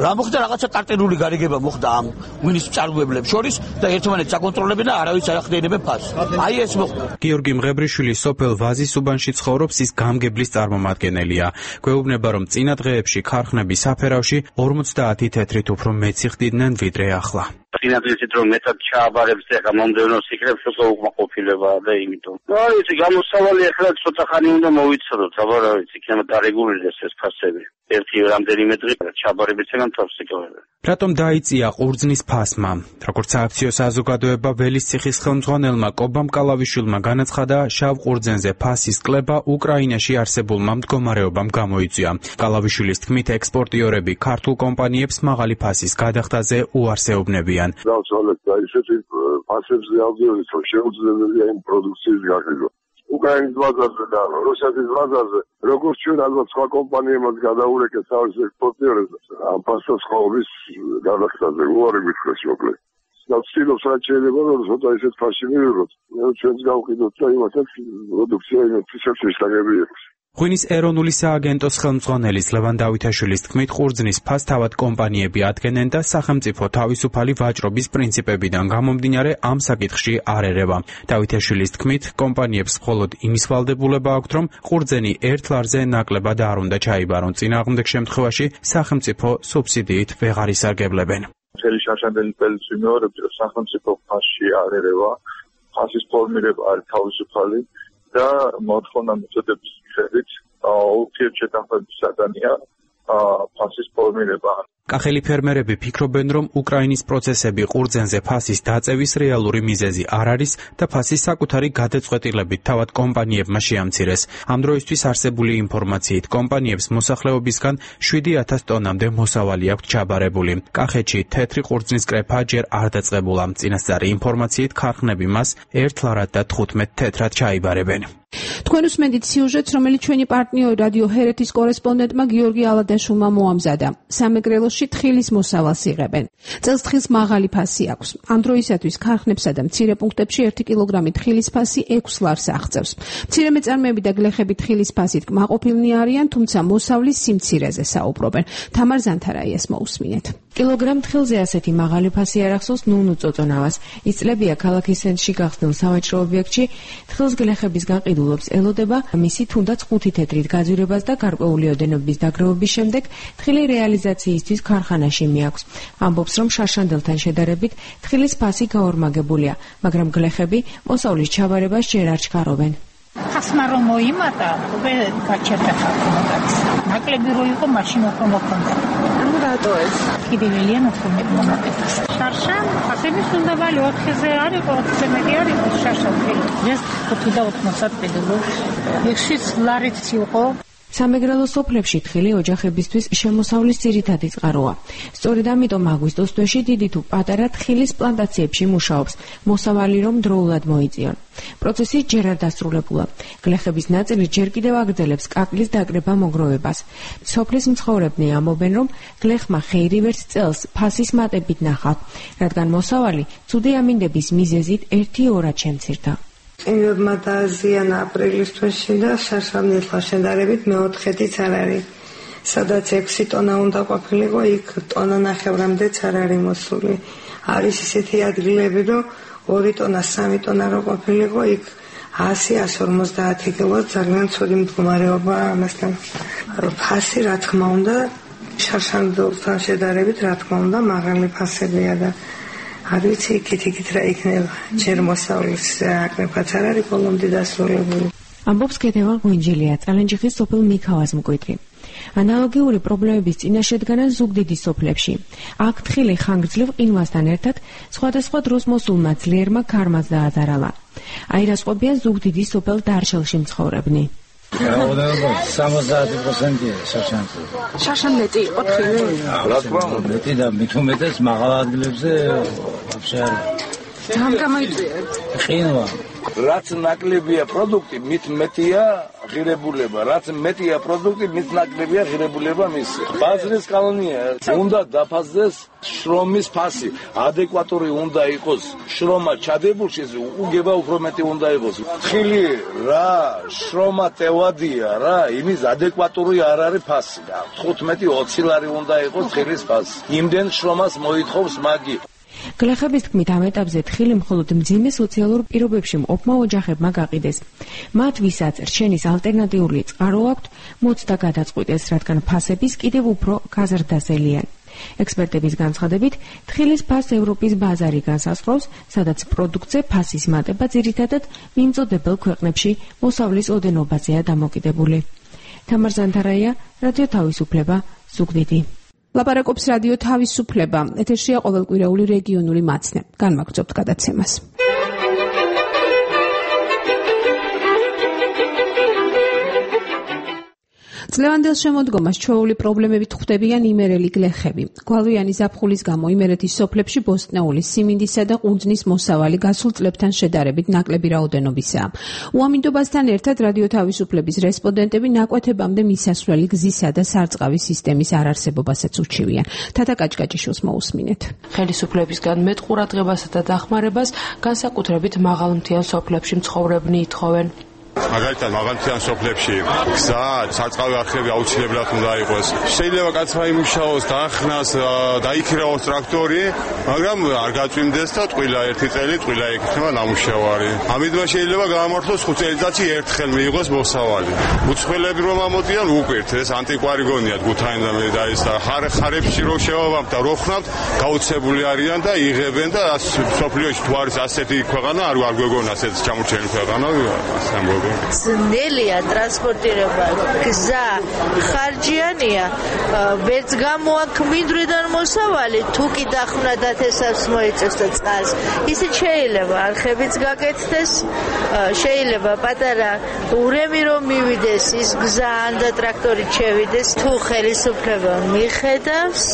რა მოხდა? რაღაცა კარტერული გარიგება მოხდა ამ ღვინის მწარმოებლებს შორის და ერთმანეთს აკონტროლებენ და არავის არ ახდენებენ ფასს. აი ეს მოხდა. გიორგი მღებრიშვილი სოფელ ვაზისუბანში ცხოვრობს, ის გამგებლის წარმომადგენელია. გვეუბნება, რომ წინა დღეებში ქარხნები საფერავში 50 თეთრით უფრო მეც იხდიდნენ ვიდრე ახლა. წინა დღეებით რომ მეტად ჩააბარებს და მომდევნო სიკრებს უკვე უკმაყოფილებაა და იმიტომ. აი ეს გამოსავალი ახლა ცოტა ხანი უნდა მოვიცადოთ, აბა რა ვიცი, იქნება დარეგულირდეს ეს ფასები. ერთი რამდენიმე დღე ჩააბარებისგან თავს იკავებენ. რატომ დაიწია ყურძნის ფასმა? როგორც სააქციო საზოგადოება ველისციხის ხელმძღვანელმა კობამ კალავიშვილმა განაცხადა, შავ ყურძენზე ფასის კლება უკრაინაში არსებულმა მდგომარეობამ გამოიწვია. კალავიშვილის თქმით, ექსპორტიორები ქართულ კომპანიებს მაღალი ფასის გადახდაზე უარს ეუბნებიან. დავცვალეთ და ისეთი ფასებზე ავდივართ, რომ შეუძლებელია იმ პროდუქციის გაგება. უკრაინის ბაზარზე და რუსეთის ბაზარზე, როგორც ჩვენ ალბათ სხვა კომპანიებმაც გადაურეკეთ თავის ექსპორტიორებს, ამ ფასის ხოვრის გადახდაზე უარი გითხრეს მოკლედ. და ვცდილობთ რაც შეიძლება, რომ ცოტა ისეთ ფასში მივიღოთ. ჩვენც გავყიდოთ და იმათაც პროდუქცია იმათაც შეგაგებიებს. ღვინის ეროვნული სააგენტოს ხელმძღვანელის ლევან დავითაშვილის თქმით, ყურძნის ფასს თავად კომპანიები ადგენენ და სახელმწიფო თავისუფალი ვაჭრობის პრინციპებიდან გამომდინარე ამ საკითხში არ ერევა. დავითაშვილის თქმით, კომპანიებს მხოლოდ იმის ვალდებულება აქვთ, რომ ყურძენი 1 ლარზე ნაკლებად არ უნდა ჩაიბარონ. წინააღმდეგ შემთხვევაში სახელმწიფო სუბსიდიით ვეღარ ისარგებლებენ. მთელი შაშანდელი წელს ვიმეორებდი, რომ სახელმწიფო ფასში არ ერევა, ფასის ფორმირება არის თავისუფალი და მოთხოვნა მეთოდების მიხედვით ურთიერთშეთანხმების საგანია ფასის ფორმირება. კახელი ფერმერები ფიქრობენ, რომ უკრაინის პროცესები ყურძენზე ფასის დაწევის რეალური მიზეზი არ არის და ფასის საკუთარი გადაწყვეტილებით თავად კომპანიებმა შეამცირეს. ამ დროისთვის არსებული ინფორმაციით კომპანიებს მოსახლეობისგან 7,000 ტონამდე მოსავალი აქვთ ჩაბარებული. კახეთში თეთრი ყურძნის კრეფა ჯერ არ დაწყებულა. წინასწარი ინფორმაციით ქარხნები მას 1 ლარად და 15 თეთრად ჩაიბარებენ. თქვენ უსმენთ სიუჟეტს, რომელიც ჩვენი პარტნიორი რადიო ჰერეთის კორესპონდენტმა გიორგი ალადაშვილმა მოამზადა. სამეგრელოში თხილის მოსავალს იღებენ. წელს თხილს მაღალი ფასი აქვს. ამ დროისათვის ქარხნებსა და მცირე პუნქტებში 1 კილოგრამი თხილის ფასი 6 ლარს აღწევს. მცირე მეწარმეები და გლეხები თხილის ფასით კმაყოფილნი არიან, თუმცა მოსავლის სიმცირეზე საუბრობენ. თამარ ზანთარაიას მოусმინეთ. კილოგრამ თხილზე ასეთი მაღალი ფასი არ ახსოვს ნუნუ წოწონავას. ის წლებია ქალაქის ცენტრში გახსნილ სავაჭრო ობიექტში თხილს გლეხების გაყიდულობს ელოდება მისი თუნდაც 5 თეთრით გაძვირებას და გარკვეული ოდენობის დაგროვების შემდეგ თხილი რეალიზაციისთვის ქარხანაში მიაქვს. ამბობს, რომ შაშანდელთან შედარებით თხილის ფასი გაორმაგებულია, მაგრამ გლეხები მოსავლის ჩაბარებას ჯერ არ ჩქარობენ. ხასმა რომ მოიმატა, უკვე გაჩერდა ხალხს. ნაკლები რო იყო, მაშინ უფრო მოხონდა. ანუ რატო ეს? კიდევ უფრო მომატებს. შარშან, ფასების უნდა ვალი 4-ზე არ იყო, 4-ზე მეტი არ იყო შარშან. ეს 5.90 პედალოს. 6 ლარით იყო. სამეგრელო სოფლებში თხილი ოჯახებისთვის შემოსავლის ძირითადი წყაროა. სწორედ ამიტომ აგვისტოს თვეში დიდი თუ პატარა თხილის პლანტაციებში მუშაობს, მოსავალი რომ დროულად მოიწიონ. პროცესი ჯერ არ დასრულებულა. გლეხების ნაწილი ჯერ კიდევ აგრძელებს კაკლის დაკრება მოგროვებას. სოფლის მცხოვრებნი ამბობენ, რომ გლეხმა ხეირი ვერც წელს ფასის მატებით ნახავთ, რადგან მოსავალი ცუდი ამინდების მიზეზით 1-2-რად შემცირდა. წინებმა დააზიანა აპრილის თვეში და შაშამნელთან შედარებით მე-4-იც არ არის. სადაც 6 ტონა უნდა ყოფილიყო, იქ ტონა ნახევრამდეც არ არის მოსული. არის ისეთი ადგილები, რომ 2 ტონა, 3 ტონა რო ყოფილიყო, იქ 100-150 კილო ძალიან ცუდი მდგომარეობაა ამასთან. ფასი რა თქმა უნდა, შაშამნელთან შედარებით რა თქმა უნდა მაღალი ფასებია და არ ვიცი იქით რა იქნება. ჯერ მოსავლის აკრეფაც არ არის ბოლომდე დასრულებული. ამბობს ქეთევან ღვინჯელია, წალენჯიხის სოფელ მიქავას მკვიდრი. ანალოგიური პრობლემების წინაშე დგანან ზუგდიდის სოფლებში. აქ თხილი ხანგრძლივ ყინვასთან ერთად სხვადასხვა დროს მოსულმა ძლიერმა ქარმაც დაადარალა. აირასყობიან ზუგდიდის სოფელ დარშელში მცხოვრებნი. რაოდენობა 70%-ია შაშანზე. შაშანლეტი იყო თხილი? რა თქმა უნდა, მეტი და მით უმეტეს მაღალ ადგილებზე ვაფშე არ. რამ გამოიწვიეთ? ყინვა. რაც ნაკლებია პროდუქტი, მით მეტია ღირებულება. რაც მეტია პროდუქტი, მით ნაკლებია ღირებულება მისი. ბაზრის კანონია, უნდა დაფასდეს შრომის ფასი. ადეკვატური უნდა იყოს შრომა ჩადებულში, უგება უფრო მეტი უნდა იყოს. თხილი რა, შრომა ტევადია რა, იმის ადეკვატური არ არის ფასი. 15-20 ლარი უნდა იყოს თხილის ფასი. იმდენ შრომას მოითხოვს მაგი. გლეხების თქმით ამ ეტაპზე თხილი მხოლოდ მძიმე სოციალურ პირობებში მყოფმა ოჯახებმა გაყიდეს. მათ ვისაც რჩენის ალტერნატიული წყარო აქვთ, მოცდა გადაწყვიტეს, რადგან ფასების კიდევ უფრო გაზრდასელიან. ექსპერტების განცხადებით, თხილის ფასს ევროპის ბაზარი განსაზღვრავს, სადაც პროდუქტზე ფასის მატება ძირითადად მიმწოდებელ ქვეყნებში მოსავლის ოდენობაზეა დამოკიდებული. თამარ ზანთარაია, რადიო თავისუფლება, ზუგდიდი. ლაპარაკობს რადიო თავისუფლება. ეთერშია ყოველკვირეული რეგიონული მაცნე. განმაგრძობთ გადაცემას. წლევანდელ შემოდგომას ჩვეული პრობლემებით ხვდებიან იმერელი გლეხები. გვალვიანი ზაფხულის გამო იმერეთის სოფლებში ბოსტნეული სიმინდისა და ყურძნის მოსავალი გასულ წლებთან შედარებით ნაკლები რაოდენობისაა. უამინდობასთან ერთად რადიო თავისუფლების რესპონდენტები ნაკვეთებამდე მისასვლელი გზისა და სარწყავის სისტემის არარსებობასაც უჩივიან. თათა კაჭკაჭიშვილს მოусმინეთ. ხელისუფლებისგან მეტ ყურადღებასა და დახმარებას განსაკუთრებით მაღალმთიან სოფლებში მცხოვრებნი ითხოვენ. მაგალითად მაღალმთიან სოფლებში გზა, სარწყავი არხები აუცილებლად უნდა იყოს. შეიძლება კაცმა იმუშაოს, დაახნას, დაიქრაოს ტრაქტორი, მაგრამ არ გაწვიმდეს და ტყილა ერთი წელი ტყილა იქნება ნამუშევარი. ამიტომ შეიძლება გაამართლოს 5 წელიწადში ერთხელ მიიღოს მოსავალი. უცხოელები რომ ამოდიან უკვირთ, ეს ანტიკვარი გონიათ გუთაინდამე და ეს ხარებში რო შევავამთ და რო ხრამთ, გაუცებული არიან და იღებენ და სოფლიოში თუ არის ასეთი ქვეყანა, არ გვეგონა ასეთი ჩამორჩენილი ქვეყანა, ასე ამბობენ. ძნელია ტრანსპორტირება, გზა ხარჯიანია, ვერც გამოაქმიდვრიდან მოსავალი, თუ კი დახვნადათ ესას მოიწევს და წყალს. ისე შეიძლება არხებიც გაკეთდეს, შეიძლება პატარა ურემი რომ მივიდეს ის გზა და ტრაქტორი შევიდეს, თუ ხელისუფლება მიხედავს,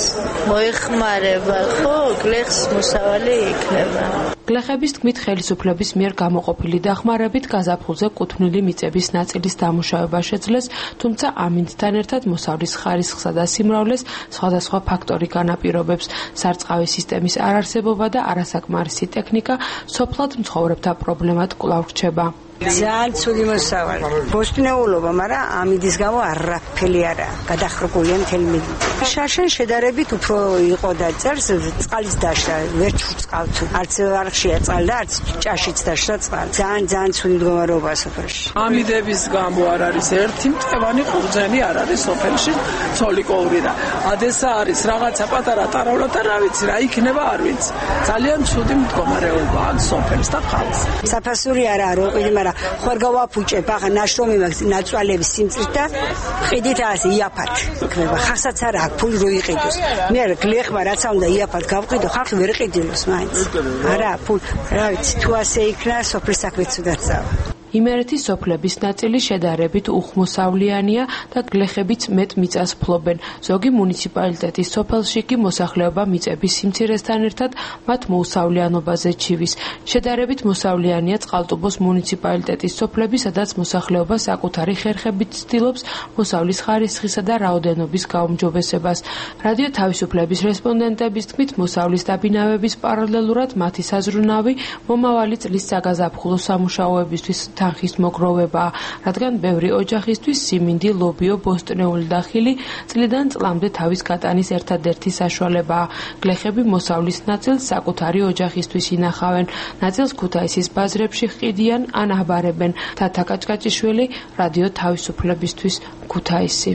მოეხმარება, ხო, გლეხს მოსავალი იქნება. გლეხების თქმით ხელისუფლების მიერ გამოყოფილი დახმარებით გაზაფხულზე კუთვნილი მიწების ნაწილის დამუშავება შეძლეს, თუმცა ამინდთან ერთად მოსავლის ხარისხსა და სიმრავლეს სხვადასხვა ფაქტორი განაპირობებს. სარწყავი სისტემის არარსებობა და არასაკმარისი ტექნიკა სოფლად მცხოვრებთა პრობლემად კვლავ რჩება. ძალიან ცუდი მოსავალი. ბოსტნეულობა, მაგრამ ამიდის გამო არაფერი არაა. გადახრებულია მთელი მიდით. შარშან შედარებით უფრო იყო და წერს წყალის დაშლა, ვერ ჩუწყავთ. არც არხშია წყალი და არც ჭაშიც დაშლა წყალი. ძალიან ცუდი მდგომარეობაა სოფელში. ამიდების გამო არ არის ერთი მტევანი ყურძენი არ არის სოფელში, ცოლიკოური რა. ადესა არის რაღაცა პატარა ტარავლა და რა ვიცი, რა იქნება არ ვიცი. ძალიან ცუდი მდგომარეობაა სოფელს და ხალხს. საფასური არა რო ყიდი, მაგრამ ხوار გავაფუჭებ ახლა ნაშრომი მაქვს ნაწვალების სიმწრით და ყიდით ასე იაფად იქნება ხასაც არა აქვს ფული რო იყიდოს მე არა გლეხმა რაცა უნდა იაფად გავყიდო ხალხი ვერ ყიდილოს მაინც არა ფული რა ვიცი თუ ასე იქნა სოფლის საქმეც უნდა წავა იმერეთის სოფლების ნაწილი შედარებით უხმოსავლიანია და გლეხებიც მეტ მიწას ფლობენ. ზოგი მუნიციპალიტეტის სოფელში კი მოსახლეობა მიწების სიმცირესთან ერთად მათ მოუსავლიანობაზე ჩივის. შედარებით მოსავლიანია წყალტუბოს მუნიციპალიტეტის სოფლები, სადაც მოსახლეობა საკუთარი ხერხებით ცდილობს მოსავლის ხარისხისა და რაოდენობის გაუმჯობესებას. რადიო თავისუფლების რესპონდენტების თქმით, მოსავლის დაბინავების პარალელურად მათი საზრუნავი მომავალი წლის საგაზაფხულო სამუშაოებისთვის თანხის მოგროვებაა, რადგან ბევრი ოჯახისთვის სიმინდი, ლობიო, ბოსტნეული და ხილი წლიდან წლამდე თავის გატანის ერთადერთი საშუალებაა. გლეხები მოსავლის ნაწილს საკუთარი ოჯახისთვის ინახავენ, ნაწილს ქუთაისის ბაზრებში ყიდიან ან აბარებენ. თათა კაჭკაჭიშვილი, რადიო თავისუფლებისთვის, ქუთაისი.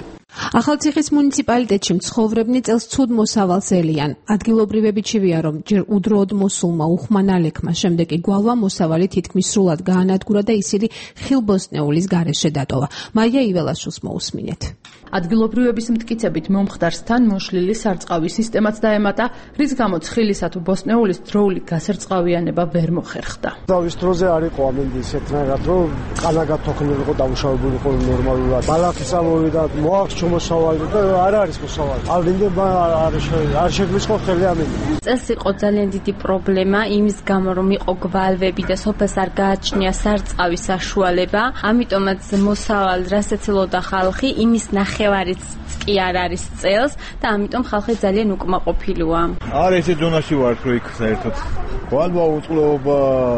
ახალციხის მუნიციპალიტეტში მცხოვრებნი წელს ცუდ მოსავალს ელიან. ადგილობრივები ჩივია, რომ ჯერ უდროოდ მოსულმა უხმანალექმა, შემდეგ კი გვალვა მოსავალი თითქმის სრულად გაანადგურა და ისინი ხილბოსტნეულის გარეშე დატოვა. მაია იველაშვილს მოусმინეთ. ადგილობრივების მტკიცებით მომხდარს თან მოშლილი სარწყავი სისტემაც დაემატა, რის გამოც ხილისა თუ ბოსტნეულის დროული გასარწყავიანება ვერ მოხერხდა. დავის დროზე არ იყო ამინდი ისეთნაირად, რომ ყანა გათოქნილიყო დამუშავებული იყო ნორმალურად. ბალახის ამოვიდა, მოაქვს მოსავალი და არ არის მოსავალი. ამინდი არ შეგვიწყო ხელი ამინდი. წელს იყო ძალიან დიდი პრობლემა იმის გამო, რომ იყო გვალვები და სოფელს არ გააჩნია სარწყავის საშუალება, ამიტომაც მოსავალ რასაც ელოდა ხალხი, იმის ნახევარიც კი არ არის წელს და ამიტომ ხალხი ძალიან უკმაყოფილოა. არ ესე დონაში ვარ რო იქ საერთოდ. გვალვა უწყლობა,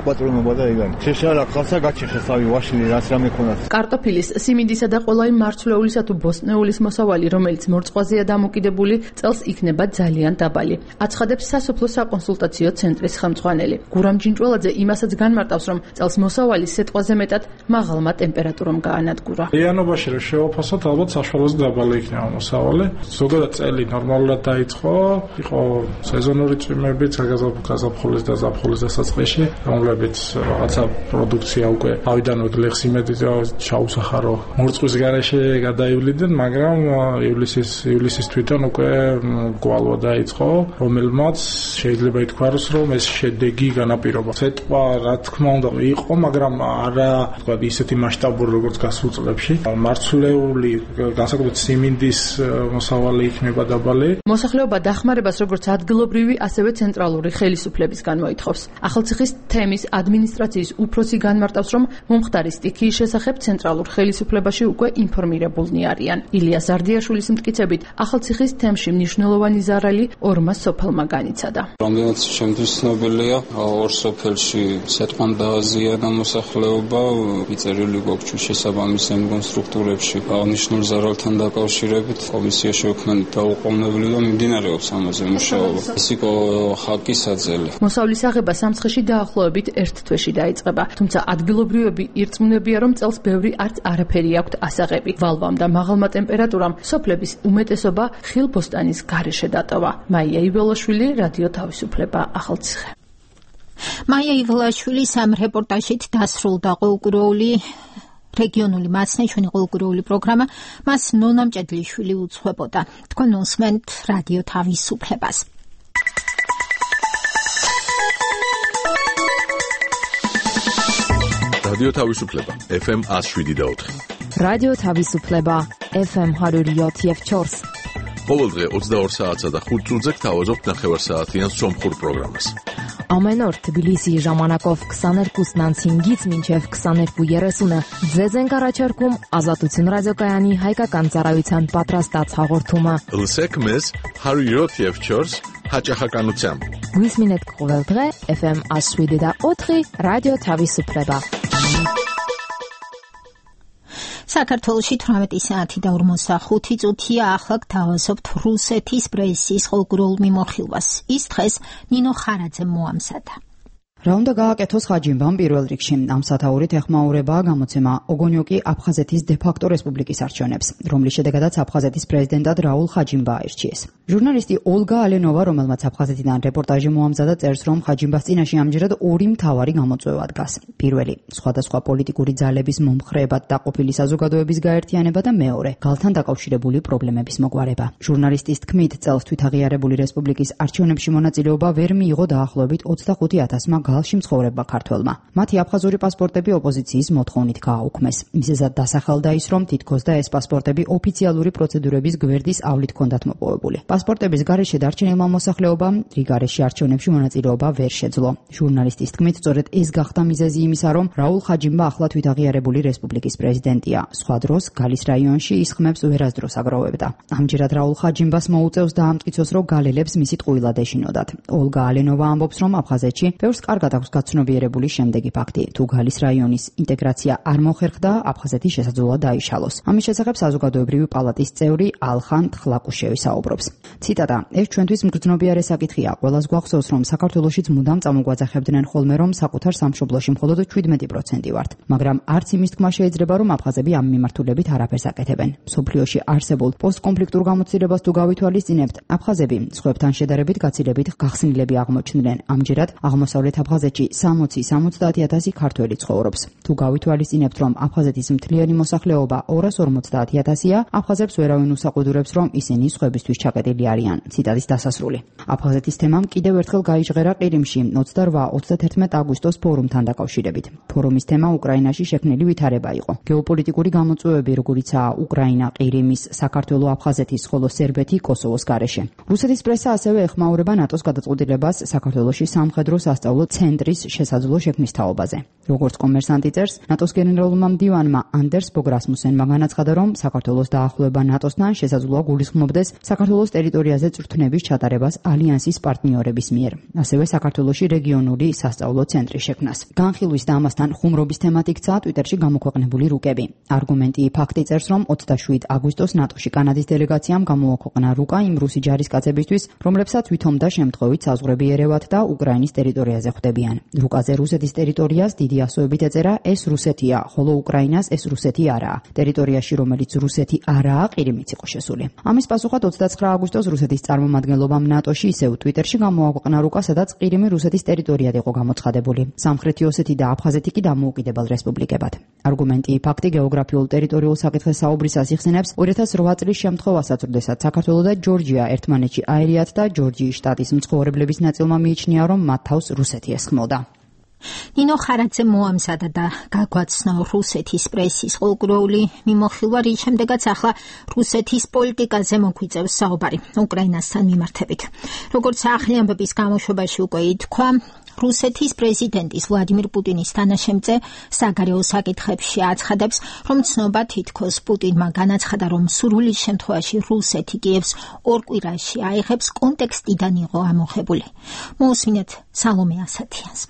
პატრონობა და ეგანი. შეშალა ხალხსა გაჩეხესავი ვაშინი რაც რამე ქონათ. კარტოფილის, სიმინდისა და ყველა იმ მარცვლეულისა თუ ბოსტნეულის მოსავალი, რომელიც მორწყვაზეა დამოკიდებული, წელს იქნება ძალიან დაბალი. აცხადებს სასოფლო საკონსულტაციო ცენტრის ხელმძღვანელი. გურამ ჯინჭველაძე იმასაც განმარტავს, რომ წელს მოსავალი სეტყვაზე მეტად მაღალმა ტემპერატურამ გაანადგურა. იანობაში რო შევაფასოთ, ალბათ საშუალოზე დაბალი იქნება მოსავალი. ზოგადად წელი ნორმალურად დაიწყო, იყო სეზონური წვიმებიც გაზაფხულის და ზაფხულის დასაწყისში, რომლებიც რაღაცა პროდუქცია უკვე ავიდანვე გლეხს იმედი ჩაუსახარო მორწყვის გარეშე გადაივლიდნენ, მაგრამ ივლისის თვითონ უკვე გვალვა დაიწყო, რომელმაც შეიძლება ითქვას, რომ ეს შედეგი განაპირობა. ცეტყვა, რა თქმა უნდა, იყო, მაგრამ არა, თქვა ისეთი მასშტაბური, როგორც გასულ წლებში. მარცვლეული, განსაკუთრებით სიმინდის მოსავალი იქნება დაბალი. მოსახლეობა დახმარებას როგორც ადგილობრივი, ასევე ცენტრალური ხელისუფლების განმოითხოვს. ახალციხის თემის ადმინისტრაციის უფროსი განმარტავს, რომ მომხდარი სტიქიის შესახებ ცენტრალურ ხელისუფლებაში უკვე ინფორმირებულნი არიან. ილია ზარდიაშვილის მტკიცებით, ახალციხის თემში მნიშვნელოვანი ზარალი ორმა სოფელმა განიცადა. რამდენად შემთხვევით ცნობილია, ორ სოფელში სეტყვან დააზიანა მოსახლეობა, იწერილი გვაქვს შესაბამის კონსტრუქტორებში აღნიშნულ ზარალთან დაკავშირებით კომისია შეუქმნით დაუყოვნებლივ და მიმდინარეობს ამაზე მუშაობა. ეს იყო ხაკისაძელი. მოსავლის აღება სამცხეში დაახლოებით ერთ თვეში დაიწყება, თუმცა ადგილობრივები ირწმუნებიან, რომ წელს ბევრი არც არაფერი აქვთ ასაღები. ვალვამ და მაღალმა ტემპერატურამ სოფლების უმეტესობა ხილბოსტანის გარეშე დატოვა. მაია იბოლაშვილი, რადიო თავისუფლება, ახალციხე. მაია იბოლაშვილის ამ რეპორტაჟით დასრულდა ყოველკვირეული რეგიონული მასნეჩვენი ყოველკვირეული პროგრამა. მას ნონა მჭედლიშვილი უძღვებოდა. თქვენ უსმენთ რადიო თავისუფლებას. რადიო თავისუფლება FM 107.4. რადიო თავისუფლება FM 107.4. ყოველდღე 22 საათსა და 5 წუთზე გთავაზობთ ნახევარსაათიან სომხურ პროგრამას. Ամեն օր Թբիլիսի ժամանակով 22:05-ից մինչև 22:30 ձեզ ենք առաջարկում Ազատություն ռադիոկայանի հայկական ծառայության պատրաստած հաղորդումը։ Լսեք մեզ 107.4 հաճախականությամբ։ Գույսմինետ կողելդղե FM 107.4 ռադիո თავისუფლება։ საქართველოში 18 საათი და 45 წუთია. ახლა გთავაზობთ რუსეთის პრესის ყოველკვირეულ მიმოხილვას. ის დღეს ნინო ხარაძე მოამზადა. რა უნდა გააკეთოს ხაჯიმბამ პირველ რიგში? ამ სათაურით ეხმაურებაა გამოცემა ოგონიოკი აფხაზეთის დე-ფაქტო რესპუბლიკის არჩევნებს, რომლის შედეგადაც აფხაზეთის პრეზიდენტად რაულ ხაჯიმბა აირჩიეს. ჟურნალისტი ოლგა ალენოვა, რომელმაც აფხაზეთიდან რეპორტაჟი მოამზადა, წერს, რომ ხაჯიმბას წინაშე ამჯერად ორი მთავარი გამოწვევა დგას. პირველი, სხვადასხვა პოლიტიკური ძალების მომხრეებად დაყოფილი საზოგადოების გაერთიანება და მეორე, გალთან დაკავშირებული პრობლემების მოგვარება. ჟურნალისტის თქმით, წელს თვითაღიარებული რესპუბლიკის არჩევნებში მონაწილეობა ვერ მიიღო დაახლოებით 25,000-მა გალში მცხოვრებმა ქართველმა. მათი აფხაზური პასპორტები ოპოზიციის მოთხოვნით გააუქმეს. მიზეზად დასახელდა ის, რომ თითქოს და ეს პასპორტები ოფიციალური პროცედურების გვერდის ავლით ჰქონდათ მოპოვებული. პასპორტების გარეშე დარჩენილმა მოსახლეობამ რიგარეში არჩევნებში მონაწილეობა ვერ შეძლო. ჟურნალისტის თქმით, სწორედ ეს გახდა მიზეზი იმისა, რომ რაულ ხაჯიმბა ახლა თვითაღიარებული რესპუბლიკის პრეზიდენტია. სხვა დროს გალის რაიონში ის ხმებს ვერასდროს აგროვებდა. ამჯერად რაულ ხაჯიმბას მოუწევს დაამტკიცოს, რომ გალელებს მისი ტყუილად ეშინოდათ. ოლგა ალენოვა ამბობს, რომ აფხაზეთში ბევრს კარგად აქვს გაცნობიერებული შემდეგი ფაქტი: თუ გალის რაიონის ინტეგრაცია არ მოხერხდა, აფხაზეთი შესაძლოა დაიშალოს. ამის შესახებ საზოგადოებრივი პალატის წევრი ალხან თხლაკუშევი საუბრობს. ციტატა: ეს ჩვენთვის მგრძნობიარე საკითხია. ყველას გვახსოვს, რომ საქართველოშიც მუდამ წამოგვაძახებდნენ ხოლმე, რომ საკუთარ სამშობლოში მხოლოდ 17% ვართ. მაგრამ არც იმის თქმა შეიძლება, რომ აფხაზები ამ მიმართულებით არაფერს აკეთებენ. მსოფლიოში არსებულ პოსტკონფლიქტურ გამოცდილებას თუ გავითვალისწინებთ, აფხაზები სხვებთან შედარებით გაცილებით გახსნილები აღმოჩნდნენ. ამჯერად აღმოსავლეთ აფხაზეთში 60-70,000 ქართველი ცხოვრობს. თუ გავითვალისწინებთ, რომ აფხაზეთის მთლიანი მოსახლეობა 250,000-ია, აფხაზებს ვერავინ უსაყვედურებს, რომ ისინი სხვებისთვის ჩაკეტილი არიან. ციტატის დასასრული. აფხაზეთის თემამ კიდევ ერთხელ გაიჟღერა ყირიმში 28-31 აგვისტოს ფორუმთან დაკავშირებით. ფორუმის თემა უკრაინაში შექმნილი ვითარება იყო. გეოპოლიტიკური გამოწვევები, როგორიცაა უკრაინა, ყირიმის, საქართველო, აფხაზეთის, ხოლო სერბეთი, კოსოვოს გარეშე. რუსეთის პრესა ასევე ეხმაურება ნატოს გადაწყვეტილებას საქართველოში სამხედრო სასწავლო ცენტრის შესაძლო შექმნის თაობაზე. როგორც კომერსანტი წერს, ნატოს გენერალურმა მდივანმა ანდერს ბოგრასმუსენმა განაცხადა, რომ საქართველოს დაახლოება ნატოსთან შესაძლოა გულისხმობდეს საქართველოს ტერიტორიაზე წვრთნების ჩატარებას ალიანსის პარტნიორების მიერ. ასევე საქართველოში რეგიონული სასწავლო ცენტრის შექმნას. განხილვის და ამასთან ხუმრობის თემად იქცა ტვიტერში გამოქვეყნებული რუკები. არგუმენტი ფაქტი წერს, რომ 27 აგვისტოს ნატოში კანადის დელეგაციამ გამოაქვეყნა რუკა იმ რუსი ჯარისკაცებისთვის, რომლებსაც ვითომდა შემთხვევით საზღვრები ერევათ და უკრაინის ტერიტორიაზე ხვდებიან. რუკაზე რუსეთის ტერიტორიას დიდი ასოებით ეწერა ეს რუსეთია, ხოლო უკრაინას ეს რუსეთი არაა. ტერიტორიაში, რომელიც რუსეთი არაა, ყირიმიც იყო შესული. ამის პასუხად 29 აგვისტოს რუსეთის წარმომადგენლობამ ნატოში ისევ ტვიტერში გამოაქვეყნა რუკა, სადაც ყირიმი რუსეთის ტერიტორიად იყო გამოცხადებული. სამხრეთი ოსეთი და აფხაზეთი კი დამოუკიდებელ რესპუბლიკებად. არგუმენტი ფაქტი გეოგრაფიულ ტერიტორიულ საკითხზე საუბრისას იხსენებს 2008 წლის შემთხვევასაც, როდესაც საქართველო და ჯორჯია ერთმანეთში აერიათ და ჯორჯიის შტატის მცხოვრებლების ნაწილმა მიიჩნია, რომ მათ თავს რუსეთი ესხმოდა. ნინო ხარაძე მოამზადა და გაგვაცნო რუსეთის პრესის ყურგროული მიმოხილვა, რის შემდეგაც ახლა რუსეთის პოლიტიკაზე მოგვიწევს საუბარი უკრაინასთან მიმართებით. როგორც ახალი ამბების გამოშვებაში უკვე ითქვა, რუსეთის პრეზიდენტის ვლადიმირ პუტინის თანაშემწე საგარეო საკითხებში აცხადებს, რომ ცნობა თითქოს პუტინმა განაცხადა, რომ სურვილის შემთხვევაში რუსეთი კიევს ორ კვირაში აიღებს, კონტექსტიდან იყო ამოღებული. მოусმინეთ სალომე ასათიანს.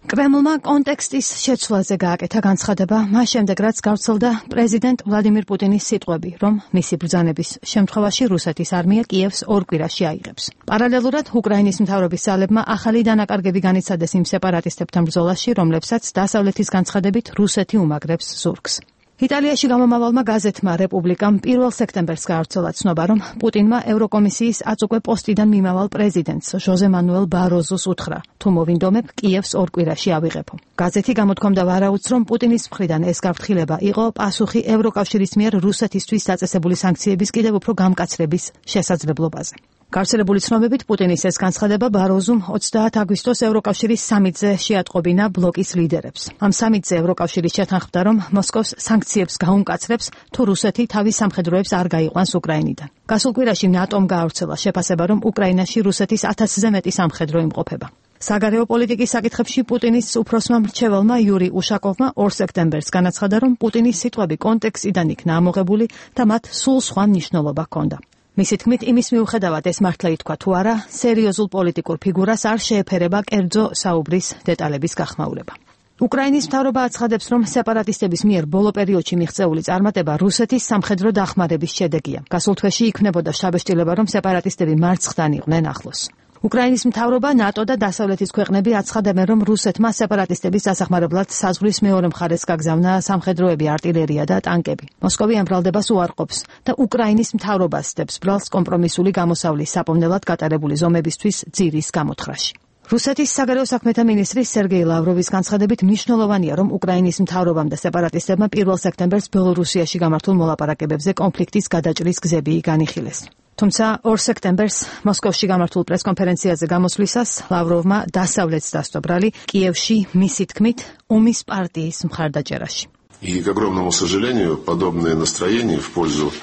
კრემლმა კონტექსტის შეცვლაზე გააკეთა განცხადება, მას შემდეგ რაც გავრცელდა პრეზიდენტ ვლადიმირ პუტინის სიტყვები, რომ მისი ბრძანების შემთხვევაში რუსეთის არმია კიევს ორ კვირაში აიღებს. პარალელურად უკრაინის მთავრობის ძალებმა ახალი დანაკარგები განიცადეს იმ სეპარატისტებთან ბრძოლაში, რომლებსაც დასავლეთის განცხადებით რუსეთი უმაგრებს ზურგს. იტალიაში გამომავალმა გაზეთმა რეპუბლიკამ 1 სექტემბერს გაავრცელა ცნობა, რომ პუტინმა ევროკომისიის აწუკვე პოსტიდან მიმავალ პრეზიდენტს ჟოზე მანუელ ბაროზოს უთხრა, თუ მოვინდომებ კიევს ორ კვირაში ავიღებო. გაზეთი გამოთქვამდა ვარაუდს, რომ პუტინის მხრიდან ეს გაფრთხილება იყო პასუხი ევროკავშირის მიერ რუსეთისთვის დაწესებული სანქციების კიდევ უფრო გამკაცრების შესაძლებლობაზე. გავრცელებული ცნობებით პუტინის ეს განცხადება ბაროზუმ 30 აგვისტოს ევროკავშირის სამიტზე შეატყობინა ბლოკის ლიდერებს. ამ სამიტზე ევროკავშირის შეთანხმდა, რომ მოსკოვს სანქციებს გაუმკაცრებს, თუ რუსეთი თავის სამხედროებს არ გაიყვანს უკრაინიდან. გასულ კვირაში ნატომ გაავრცელა შეფასება, რომ უკრაინაში რუსეთის 1000-ზე მეტი სამხედრო იმყოფება. საგარეო პოლიტიკის საკითხებში პუტინის უფროსმა მრჩეველმა იური უშაკოვმა 2 სექტემბერს განაცხადა, რომ პუტინის სიტყვები კონტექსტიდან იქნა ამოღებული და მათ სულ სხვა მნიშვნელობა ჰქონდა. მისი თქმით, იმის მიუხედავად ეს მართლა ითქვა თუ არა, სერიოზულ პოლიტიკურ ფიგურას არ შეეფერება კერძო საუბრის დეტალების გახმაურება. უკრაინის მთავრობა აცხადებს, რომ სეპარატისტების მიერ ბოლო პერიოდში მიღწეული წარმატება რუსეთის სამხედრო დახმარების შედეგია. გასულ თვეში იქნებოდა შთაბეჭდილება, რომ სეპარატისტები მარცხთან იყვნენ ახლოს. უკრაინის მთავრობა, ნატო და დასავლეთის ქვეყნები აცხადებენ, რომ რუსეთმა სეპარატისტების დასახმარებლად საზღვრის მეორე მხარეს გაგზავნა სამხედროები, артиლერია და ტანკები. მოსკოვი ამ ბრალდებას უარყოფს და უკრაინის მთავრობას სდებს ბრალს კომპრომისული გამოსავლის საპოვნელად გატარებული ზომებისთვის ძირის გამოთხრაში. რუსეთის საგარეო საქმეთა მინისტრის სერგეი ლავროვის განცხადებით მნიშვნელოვანია, რომ უკრაინის მთავრობამ და სეპარატისტებმა 1 სექტემბერს ბელორუსიაში გამართულ მოლაპარაკებებზე კონფლიქტის გადაჭრის გზები განიხილეს. თუმცა 2 სექტემბერს მოსკოვში გამართულ პრესკონფერენციაზე გამოსვლისას ლავროვმა დასავლეთს დასტო ბრალი კიევში მისი თქმით ომის პარტიის მხარდაჭერაში. И, к огромному сожалению, подобное настроение в пользу